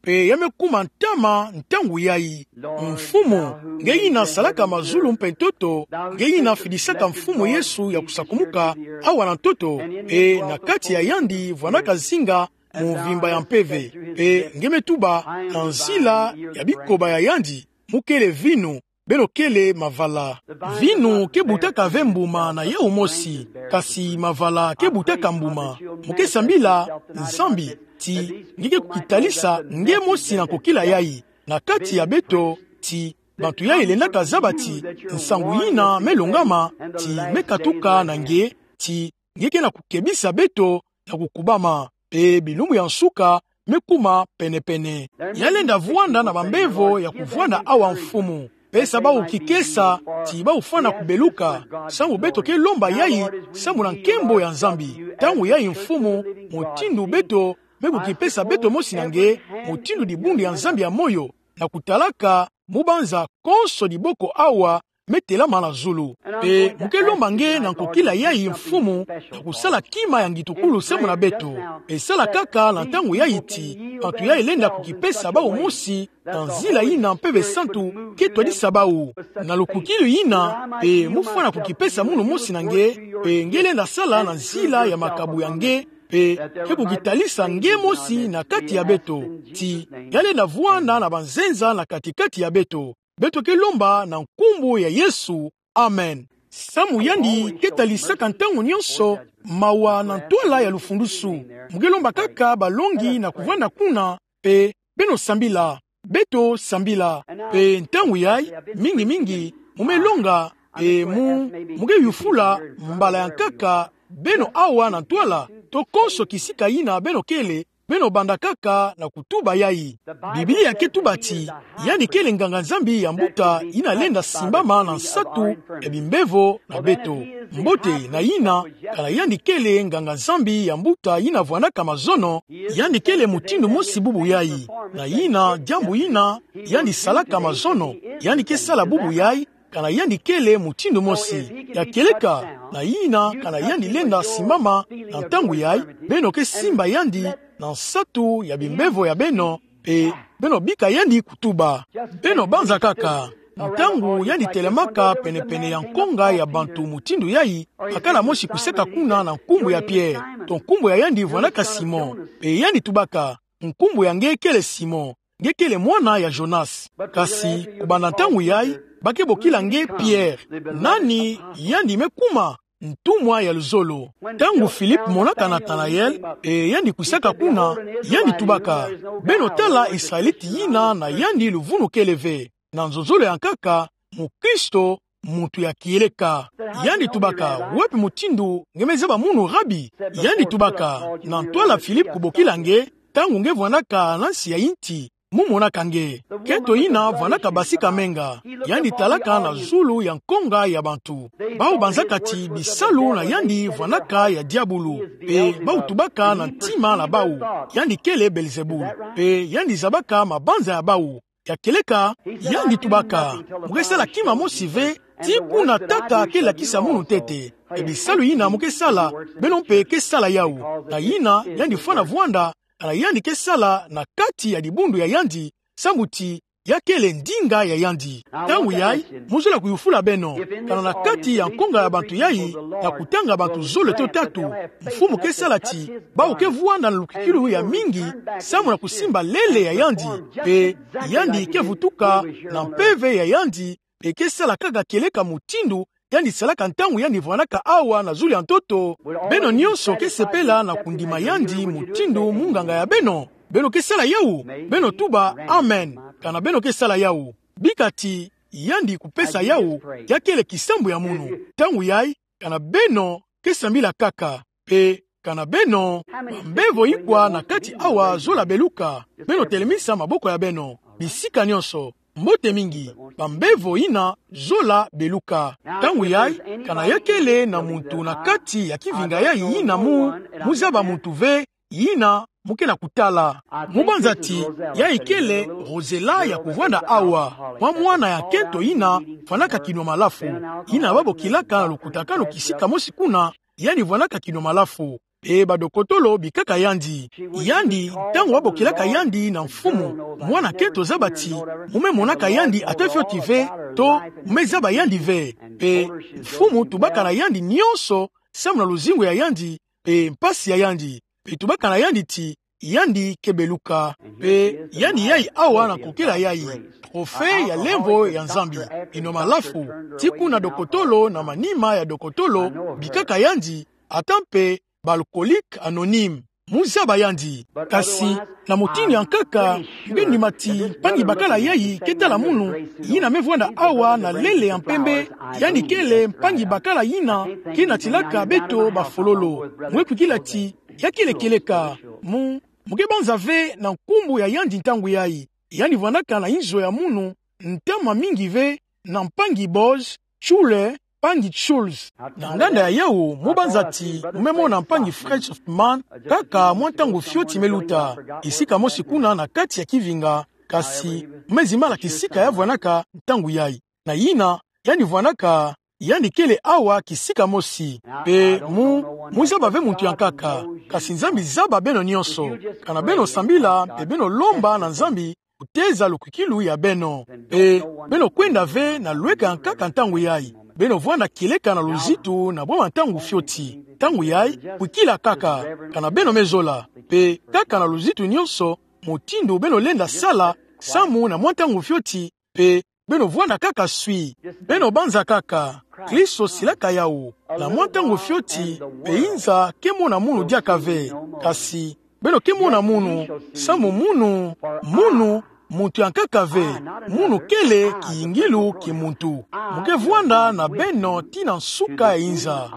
mpe ya me kuma ntama ntangu yayi? Mfumu, nge yina salaka mazulu mpe ntoto, nge yina fidisaka Mfumu Yesu ya kusakumuka awa na ntoto, mpe na kati ya yandi vwandaka zinga mvimba ya mpeve. Mpe nge me tuba, na nzila ya bikoba ya yandi, mo kele vinu, beno kele mavala. Vinu ke butaka ve mbuma na yawu mosi, kasi mavala ke butaka mbuma. Mo ke sambila Nzambi ti nge ke kukitalisa nge mosi na nkokila yayi na kati ya beto, ti bantu yayi lendaka zaba ti nsangu yina me longama, ti me katuka na nge, ti nge ke na kukebisa beto na kukubama, mpe bilumbu ya nsuka me kuma penepene. Ya lenda vwanda na bambevo ya kuvwanda awa, Mfumu. pesa bawu kikesa, ti bawu fwana kubeluka. Samu beto ke lomba yayi, samu na nkembo ya Nzambi. Ntangu yayi Mfumu, mutindu beto me kukipesa beto mosi na nge, mutindu dibundu ya Nzambi ya moyo, na kutalaka mubanza konso diboko awa me telama na zulu. Mpe mu ke lomba nge na nkokila yayi Mfumu, na kusala kima ya ngitukulu samu na beto. Mpe sala kaka na ntangu yayi ti bantu yayi lenda kukipesa bawu mosi na nzila yina Mpeve Santu ke twadisa bawu. Na lukukilu yina, mpe mu fwana kukipesa munu mosi na nge, mpe nge lenda sala na nzila ya makabu ya nge, mpe ke kukitalisa nge mosi na kati ya beto, ti ya lenda vwanda na banzenza na kati-kati ya beto. Beto ke lomba na nkumbu ya Yesu. Amen. Samu yandi ke talisaka ntangu nyonso mawa na ntwala ya lufundusu. Mu ke lomba kaka balongi na kuvwanda kuna, mpe beno sambila. Beto sambila. Mpe ntangu yayi, mingi-mingi, mu me longa, mpe mu, mu ke yufula mbala ya nkaka beno awa na ntwala, to konso kisika yina beno kele, beno banda kaka na kutuba yayi. Biblia ke tuba ti, yandi kele nganga-Nzambi ya mbuta yina lenda simbama na nsatu ya bimbevo na beto. Mbote na yina, kana yandi kele nganga-Nzambi ya mbuta yina vwandaka mazono, yandi kele mutindu mosi bubu yayi. Na yina, diambu yina, yandi salaka mazono, yandi ke sala bubu yayi, kana yandi kele mutindu mosi. Ya kieleka, na yina, kana yandi lenda simbama na ntangu yayi, beno ke simba yandi na nsatu ya bimbevo ya beno, mpe beno bika yandi kutuba. Beno banza kaka, ntangu yandi telamaka pene-pene ya nkonga ya bantu mutindu yayi, bakala mosi kusaka kuna na nkumbu ya Pierre, to nkumbu ya yandi vwandaka Simon, mpe yandi tubaka: Nkumbu ya nge kele Simon, nge kele mwana ya Jonas. Kasi, kubanda ntangu yayi, ba ke bokila nge Pierre. Nani yandi me kuma? Ntumwa ya luzolo. Ntangu Philippe monaka Nathanaël, mpe yandi kwisaka kuna, yandi tubaka: Beno tala Israelite yina na yandi luvunu kele ve. Na nzonzolo ya nkaka, mukristo, muntu ya kieleka. Yandi tubaka: Wapi mutindu nge me zaba munu, Rabi? Yandi tubaka: Na ntwala Philippe kubokila nge, ntangu nge vwandaka na nsi ya inti, mu monaka nge. Nkento yina vwandaka basika menga. Yandi talaka na zulu ya nkonga ya bantu. Bawu banzaka ti bisalu na yandi vwandaka ya diabulu. Mpe bawu tubaka na ntima na bawu: Yandi kele Belzebul. Mpe yandi zabaka mabanza ya bawu. Ya kieleka, yandi tubaka: Mu ke sala kima mosi ve, tii kuna Tata ke lakisa munu ntete. Mpe bisalu yina mu ke sala, beno mpe ke sala yawu. Na yina, yandi fwana vwanda, kana yandi ke sala na kati ya dibundu ya yandi, samu ti ya kele ndinga ya yandi. Ntangu yayi, mu zola kuyufula beno: Kana na kati ya nkonga ya bantu yayi, na kutanga bantu zole to tatu, Mfumu ke sala ti bawu ke vwanda na lukikilu ya mingi, samu na kusimba lele ya yandi, mpe yandi ke vutuka na mpeve ya yandi, mpe ke sala kaka kieleka mutindu yandi salaka ntangu yandi vwandaka awa na zulu ya ntoto? Beno nyonso ke sepela na kundima yandi mutindu munganga ya beno? Beno ke sala yawu? Beno tuba: Amen, kana beno ke sala yawu. Bika ti yandi kupesa yawu, ya kele kisambu ya munu. Ntangu yayi, kana beno ke sambila kaka. Mpe kana beno, bambevo ikwa na kati awa zola beluka? Beno telemisa maboko ya beno, bisika nyonso. Mbote mingi, bambevo yina zola beluka. Ntangu yayi, kana ya kele na muntu na kati ya kivinga yayi yina mu, mu zaba muntu ve, yina mu ke na kutala. Mu banza ti yayi kele Rosella ya kuvwanda awa, mwa mwana ya nkento yina fwanaka kino malafu, yina ba bokilaka na lukutakanu kisika mosi kuna, yandi vwandaka kino malafu. Mpe badokotolo bikaka yandi. Yandi, ntangu ba bokilaka yandi na Mfumu, mwana nkento zaba ti mu me monaka yandi ata fioti ve, to mu me zaba yandi ve. Mpe Mfumu tubaka na yandi nyonso samu na luzingu ya yandi, mpe mpasi ya yandi. Mpe tubaka na yandi ti yandi ke beluka. Mpe yandi yayi awa na nkokila yayi, trophée ya lemvo ya Nzambi, kino malafu, tii kuna dokotolo na manima ya dokotolo bikaka yandi, ata mpe ba alcoolique anonyme, mu zaba yandi. Kasi, na mutindu ya nkaka, mu ke ndima ti mpangi-bakala yayi ke tala munu, yina me vwanda awa na lele ya mpembe, yandi kele mpangi-bakala yina ke natilaka beto bafololo. Mu ke kwikila ti ya kele kieleka, mu, mu ke banza ve na nkumbu ya yandi ntangu yayi. Yandi vwandaka na inzo ya munu ntama mingi ve, na mpangi Boaz Schuller, mpangi Schulz. Na nganda ya yawu, mu banza ti mu me mona mpangi Fred Softman, kaka mwa ntangu fioti me luta. Kisika mosi kuna na kati ya kivinga, kasi mu me zimbala kisika ya vwanaka ntangu yayi. Na yina, yandi vwanaka, yandi kele awa kisika mosi. Mpe mu, mu zaba ve muntu ya nkaka, kasi Nzambi zaba beno nyonso. Kana beno sambila, mpe beno lomba na Nzambi, kuteza lukwikilu ya beno. Mpe beno kwenda ve na lweka ya nkaka ntangu yayi. Beno vwanda kieleka na luzitu na bwabwa ntangu fioti. Ntangu yayi, kwikila kaka, kana beno me zola. Mpe kaka na luzitu nyonso, mutindu beno lenda sala, samu na mwa ntangu fioti, mpe beno vwanda kaka swi. Beno banza kaka. Kristo silaka yawu. Na mwa ntangu fioti, mpe inza ke mona munu diaka ve. Kasi, beno ke mona munu, samu munu, munu, muntu ya nkaka ve, munu kele kiyingilu ki muntu. Mu ke vwanda na beno tii na nsuka ya inza.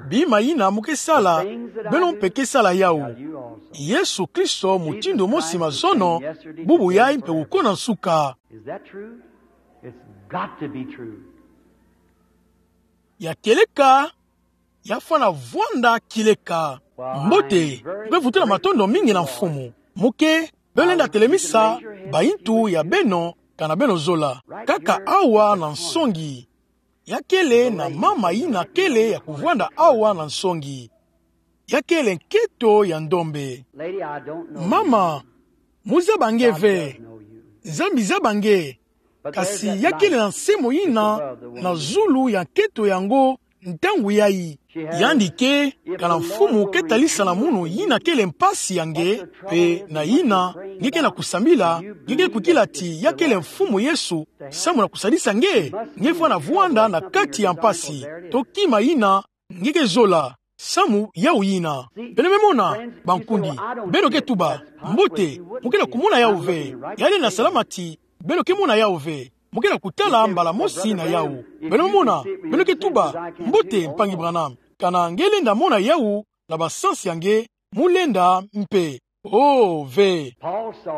Bima yina mu ke sala, beno mpe ke sala yawu. Yesu Kristo mutindu mosi mazono, bubu yayi mpe wukona nsuka. Is that true? It's got to be true. Ya kieleka, ya fwana vwanda kieleka. Mbote, mu ke vutula matondo mingi na Mfumu. Mu ke, beno lenda telemisa bayintu ya beno, kana beno zola. Kaka awa na nsongi. Ya kele na mama yina kele ya kuvwanda awa na nsongi. Ya kele nketo ya ndombe. Lady, I don't know you. Mama, mu zaba nge ve. God does know you. Nzambi zaba nge. But there's that light. Kasi ya kele na nsemo yina na zulu ya nketo yango ntangu yayi. Yandi ke, kana Mfumu ke talisa na munu yina kele mpasi ya nge, mpe na yina, nge ke na kusambila, nge ke kwikila ti ya kele Mfumu Yesu, samu na kusadisa nge, nge fwana vwanda na kati ya mpasi. To kima yina, nge ke zola, samu yawu yina. Beno me mona, bankundi, beno ke tuba, mbote, mu ke na kumona yawu ve, yandi na salama ti, beno ke mona yawu ve, mu ke na kutala mbala mosi na yawu. Beno me mona, beno ke tuba, mbote, mpangi Branham, kana nge lenda mona yawu, na ba sens ya nge, mu lenda mpe. Oh, ve.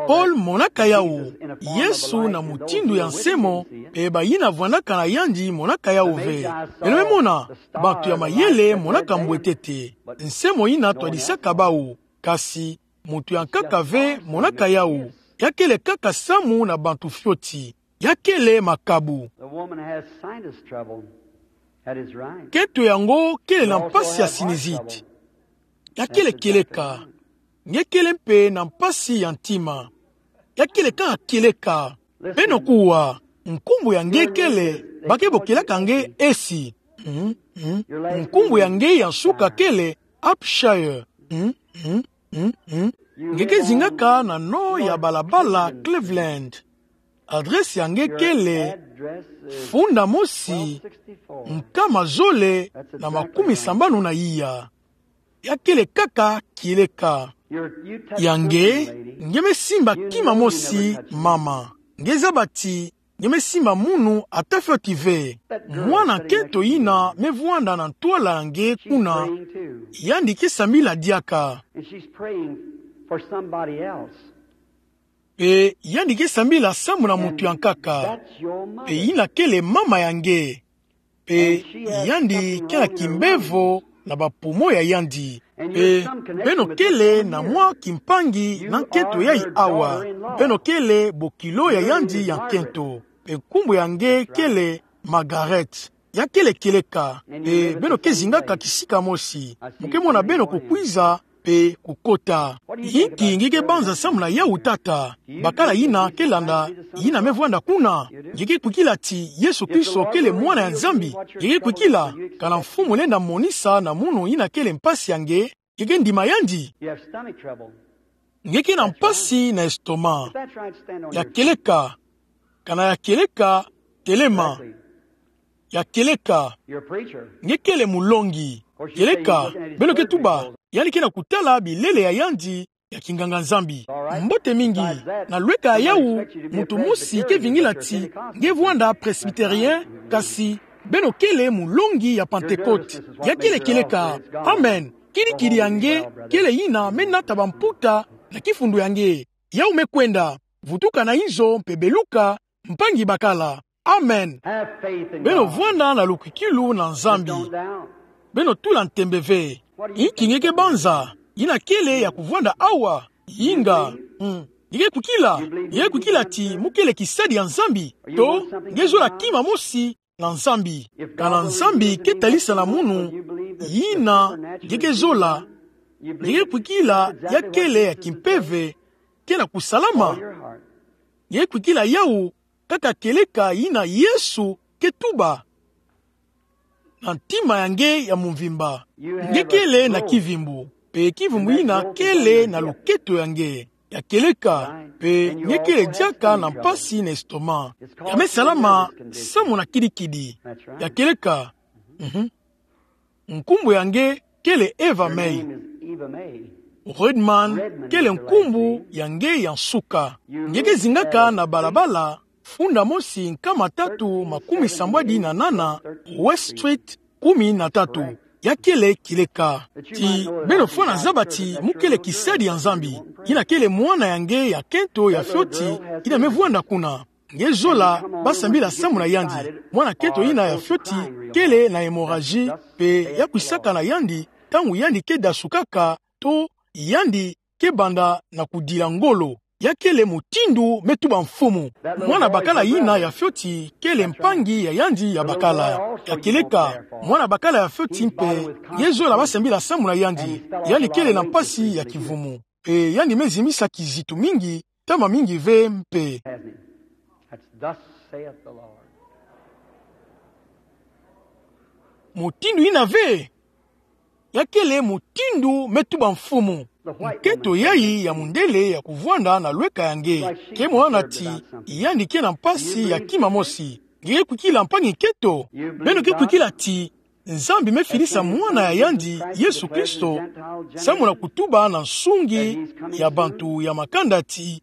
Paul monaka yawu, Yesu na mutindu ya nsemo, mpe bayina vwandaka na yandi monaka yawu ve. Beno me mona, bantu ya mayele monaka mbwetete. Nsemo yina twadisaka bawu, kasi muntu ya nkaka ve monaka yawu. Ya kele kaka samu na bantu fioti. Ya kele makabu. The woman has sinus trouble. That is right. Nketo yango kele na mpasi ya sinizite. Ya kele kieleka. Nge kele mpe na mpasi ya ntima. Ya kele kaka kieleka. Beno kuwa, nkumbu ya nge kele, ba ke bokilaka nge Esi. Mm, mm. Nkumbu ya nge ya nsuka kele Upshire. Mm, mm, mm, mm. Nge ke zingaka na nord ya balabala Cleveland. Adresse ya nge kele funda mosi, nkama zole na makumi sambanu na iya. Ya kele kaka kieleka. Ya nge, nge me simba kima mosi, mama. Nge zaba ti, nge me simba munu ata fioti ve. Mwana nketo yina me vwanda na ntwala ya nge kuna. Yandi ke sambila diaka. And she's praying for somebody else. Mpe yandi ke sambila samu na muntu ya nkaka. Mpe yina kele mama ya nge. Mpe yandi ke na kimbevo na ba poumon ya yandi. Mpe beno kele na mwa kimpangi na nketo yayi awa. Beno kele bokilo ya yandi ya nkento. Mpe nkumbu ya nge kele Margaret. Ya kele kieleka, mpe beno ke zingaka kisika mosi. Mu ke mona beno kukwiza, mpe kukota. Inki nge ke banza samu na yawu tata? Bakala yina ke landa, yina me vwanda kuna. Nge ke kwikila ti Yesu Kristo kele mwana ya Nzambi? Nge ke kwikila, kana Mfumu lenda monisa na munu yina kele mpasi ya nge, nge ke ndima yandi? You have stomach trouble. Nge ke na mpasi na estomac. If that's right, stand on your feet. Ya kieleka. Kana ya kieleka, telema. Correctly. Ya kieleka. You're a preacher. Nge kele mulongi. Kieleka, beno ke tuba, yandi ke na kutala bilele ya yandi ya kinganga-Nzambi. All right. Mbote mingi, na lweka ya yawu, muntu mosi ke vingila ti nge vwanda presbytérien, kasi beno kele mulongi ya Pentecôte. Ya kele kieleka. Amen. Kidikidi ya nge kele yina me nata bamputa na kifundu ya nge. Yawu me kwenda. Vutuka na inzo mpe beluka, mpangi bakala. Amen. Beno vwanda na lukwikilu na Nzambi. Beno tula ntembe ve. Inki nge ke banza? Yina kele ya kuvwanda awa. Yinga. Mm. Nge ke kwikila? Nge ke kwikila ti mu kele kisadi ya Nzambi? To nge zola kima mosi na Nzambi? Kana Nzambi ke talisa na munu yina nge ke zola, nge ke kwikila ya kele ya kimpeve, ke na kusalama? Nge ke kwikila yawu kaka kieleka yina Yesu ke tuba na ntima ya nge ya mumvimba? Nge kele na kivimbu, mpe kivimbu yina kele na loketo ya nge. Ya kieleka, mpe nge kele diaka na mpasi na estomac. Ya me salama samu na kidikidi. Ya kieleka. Mhm. Nkumbu ya nge kele Eva May. Redman kele nkumbu ya nge ya nsuka. Nge ke zingaka na balabala funda mosi nkama tatu makumi sambwadi na nana West Street kumi na tatu. Ya kele kieleka. Ti beno fwana zaba ti mu kele kisadi ya Nzambi. Yina kele mwana ya nge ya kento ya fioti, yina me vwanda kuna. Nge zola ba sambila samu na yandi. Mwana kento yina ya fioti kele na hémorragie, mpe ya kwisaka na yandi ntangu yandi ke dasukaka, to yandi ke banda na kudila ngolo. Ya kele mutindu me tuba Mfumu. Mwana bakala yina ya fioti kele mpangi ya yandi ya bakala. Ya kieleka, mwana bakala ya fioti mpe, nge zola ba sambila samu na yandi. Yandi kele na mpasi ya kivumu. Mpe yandi me zimisa kizitu mingi, ntama mingi ve mpe. Hasn't he? That's thus saith the Lord. Mutindu yina ve. Ya kele mutindu me tuba Mfumu. Nkento yayi ya mundele ya kuvwanda na lweka ya nge. Ke mwana ti yandi ke na mpasi ya kima mosi. Nge ke kwikila mpangi nkento? Beno ke kwikila ti Nzambi me filisa mwana ya yandi, Yesu Kristo, samu na kutuba na nsungi ya bantu ya makanda ti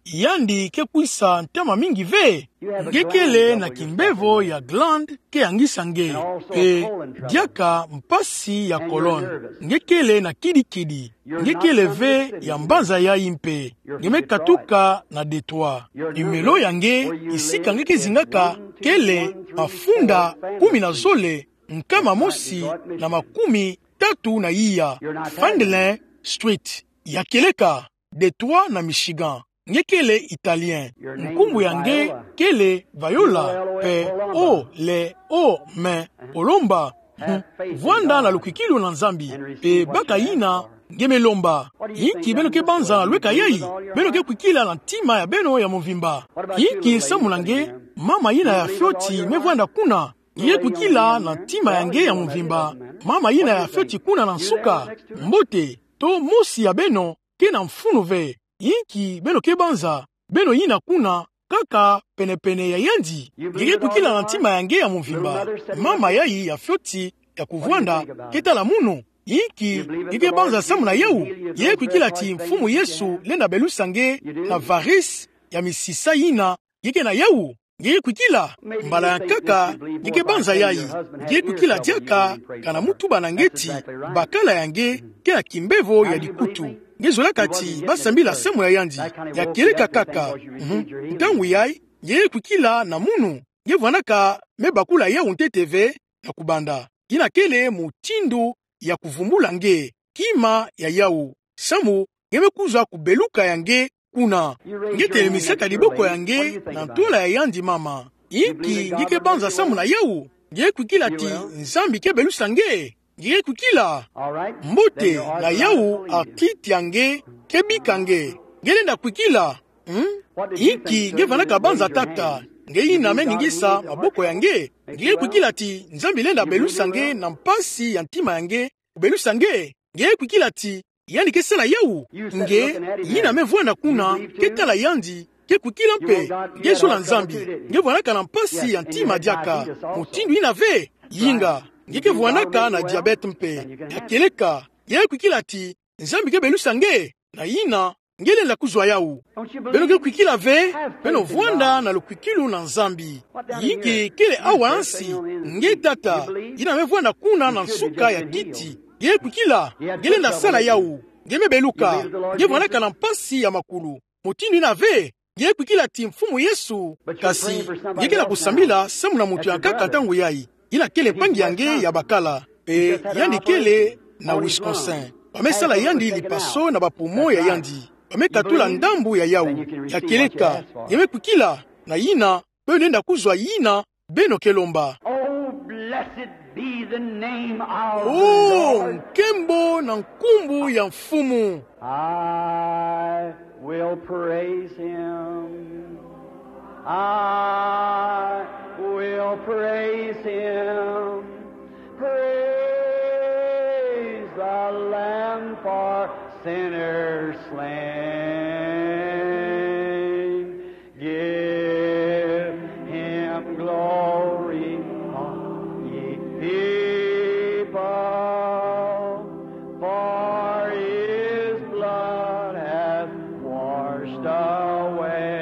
yandi ke kwisa ntama mingi ve? Nge kele na kimbevo ya glande ke yangisa nge, mpe diaka mpasi ya colon. Nge kele na kidikidi. Nge kele ve ya mbanza yayi mpe. Nge me katuka na detroit. Numéro ya nge, esika nge ke zingaka, kele mafunda kumi na zole, nkama mosi na makumi tatu na iya, Franklin Street. Ya kieleka, detroit na Michigan. Nge kele Italien. Nkumbu ya nge kele Viola, mpe o le o me olomba. Hmm. Vwanda na lukwikilu na Nzambi, mpe baka yina nge me lomba. Inki beno ke banza na lweka yayi? Beno ke kwikila na ntima ya beno ya muvimba. Inki samu na nge, mama yina ya fioti me vwanda kuna? Nge ke kwikila na ntima ya nge ya muvimba mama yina ya fioti kuna na nsuka? Mbote, to mosi ya beno ke na mfunu ve. Inki beno ke banza? Beno yina kuna kaka penepene ya yandi. Nge ke kwikila na ntima ya nge ya muvimba mama yayi ya fioti ya kuvwanda? Ke tala munu. Inki nge ke banza samu na yawu? Nge ke kwikila ti Mfumu Yesu lenda belusa nge na varice ya misisa yina nge ke na yawu? Nge ke kwikila? Mbala ya nkaka nge ke banza yayi. Nge ke kwikila diaka kana mutuba na nge ti bakala ya nge ke na kimbevo ya dikutu. Nge zolaka ti ba sambila samu na yandi. Ya kieleka kaka. Mhm. Ntangu yayi, nge ke kwikila na munu. Nge vwanaka me bakula yawu ntete ve na kubanda. Yina kele mutindu ya kuvumbula nge, kima ya yawu. Samu nge me kwiza kubeluka ya nge kuna. Nge telemisaka diboko ya nge na ntola ya yandi mama. Inki nge ke banza samu na yawu? Nge ke kwikila ti Nzambi ke belusa nge? Nge ke kwikila? Mbote, na yawu, arthrite ya nge ke bika nge. Nge lenda kwikila? Hmm? Inki nge vwanaka banza tata? Nge yina me ningisa maboko ya nge. Nge ke kwikila ti Nzambi lenda belusa nge na mpasi ya ntima ya nge, kubelusa nge? Nge ke kwikila ti yandi ke sala yawu? Nge yina me vwanda kuna ke tala yandi, ke kwikila mpe? Nge zola Nzambi. Nge vwanaka na mpasi ya ntima diaka. Mutindu yina ve. Yinga. Nge ke vwanaka na diabète mpe. Ya kieleka. Nge ke kwikila ti Nzambi ke belusa nge? Na yina nge lenda kuzwa yawu. Beno ke kwikila ve? Beno vwanda na lukwikilu na Nzambi. Inki kele awa ha nsi? Nge tata yina me vwanda kuna na nsuka ya kiti, nge ke kwikila? Nge lenda sala yawu. Nge me beluka. Nge vwanaka na mpasi ya makulu. Mutindu yina ve. Nge kwikila ti Mfumu Yesu, kasi nge ke na kusambila samu na moto ya nkaka ntangu yayi. Yina kele mpangi ya nge ya bakala, mpe yandi kele na Wisconsin. Ba me sala yandi lipaso na ba poumon ya yandi. Ba me katula ndambu ya yawu. Ya kieleka, nge me kwikila na yina, beno lenda kuzwa yina beno ke lomba. Oh, blessed be the name of the Lord. Oh, nkembo na nkumbu ya Mfumu. I will praise him. I will praise him. Praise the Lamb for sinners slain. Give him glory, all ye people, for his blood hath washed away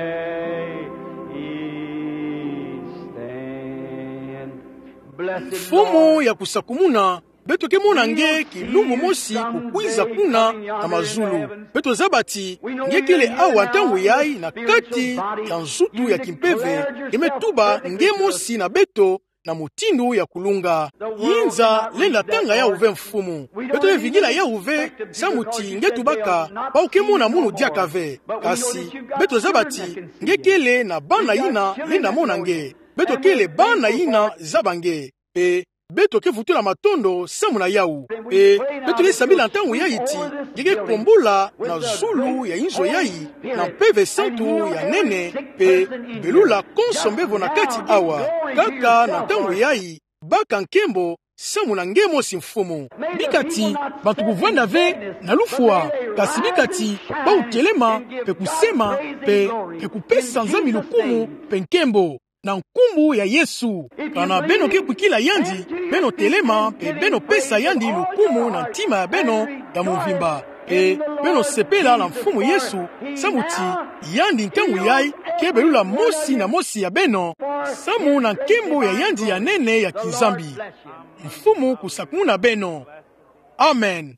each stain. Blessed Lord. Mfumu ya kusakumuna, beto ke mona nge kilumbu mosi kukwiza kuna na mazulu. Beto zaba ti nge kele awa ntangu yayi na kati ya nzutu ya kimpeve, nge me tuba nge mosi na beto na mutindu ya kulunga. Yinza lenda tanga yawu ve, Mfumu. Beto me vingila yawu ve samu ti nge tubaka bawu ke mona munu diaka ve. Kasi beto zaba ti nge kele na bana yina lenda mona nge. Beto kele bana yina zaba nge. Mpe beto ke vutula matondo samu na yawu. Mpe beto ke sambila ntangu yayi ti nge ke kombola na zulu ya inzo yayi na Mpeve Santu ya nene, mpe belula konso mbevo na kati awa. Kaka na ntangu yayi, baka nkembo samu na nge mosi, Mfumu. Bika ti bantu kuvwanda ve na lufwa, kasi bika ti bawu telema mpe kusema mpe, mpe kupesa Nzambi lukumu mpe nkembo na nkumbu ya Yesu. Kana beno ke kwikila yandi, beno telema mpe beno pesa yandi lukumu na ntima ya beno ya mvimba. Mpe beno sepela na Mfumu Yesu, samu ti yandi ntangu yayi ke belula mosi na mosi ya beno samu na nkembo ya yandi ya nene ya kiNzambi. Mfumu kusakumuna beno. Amen.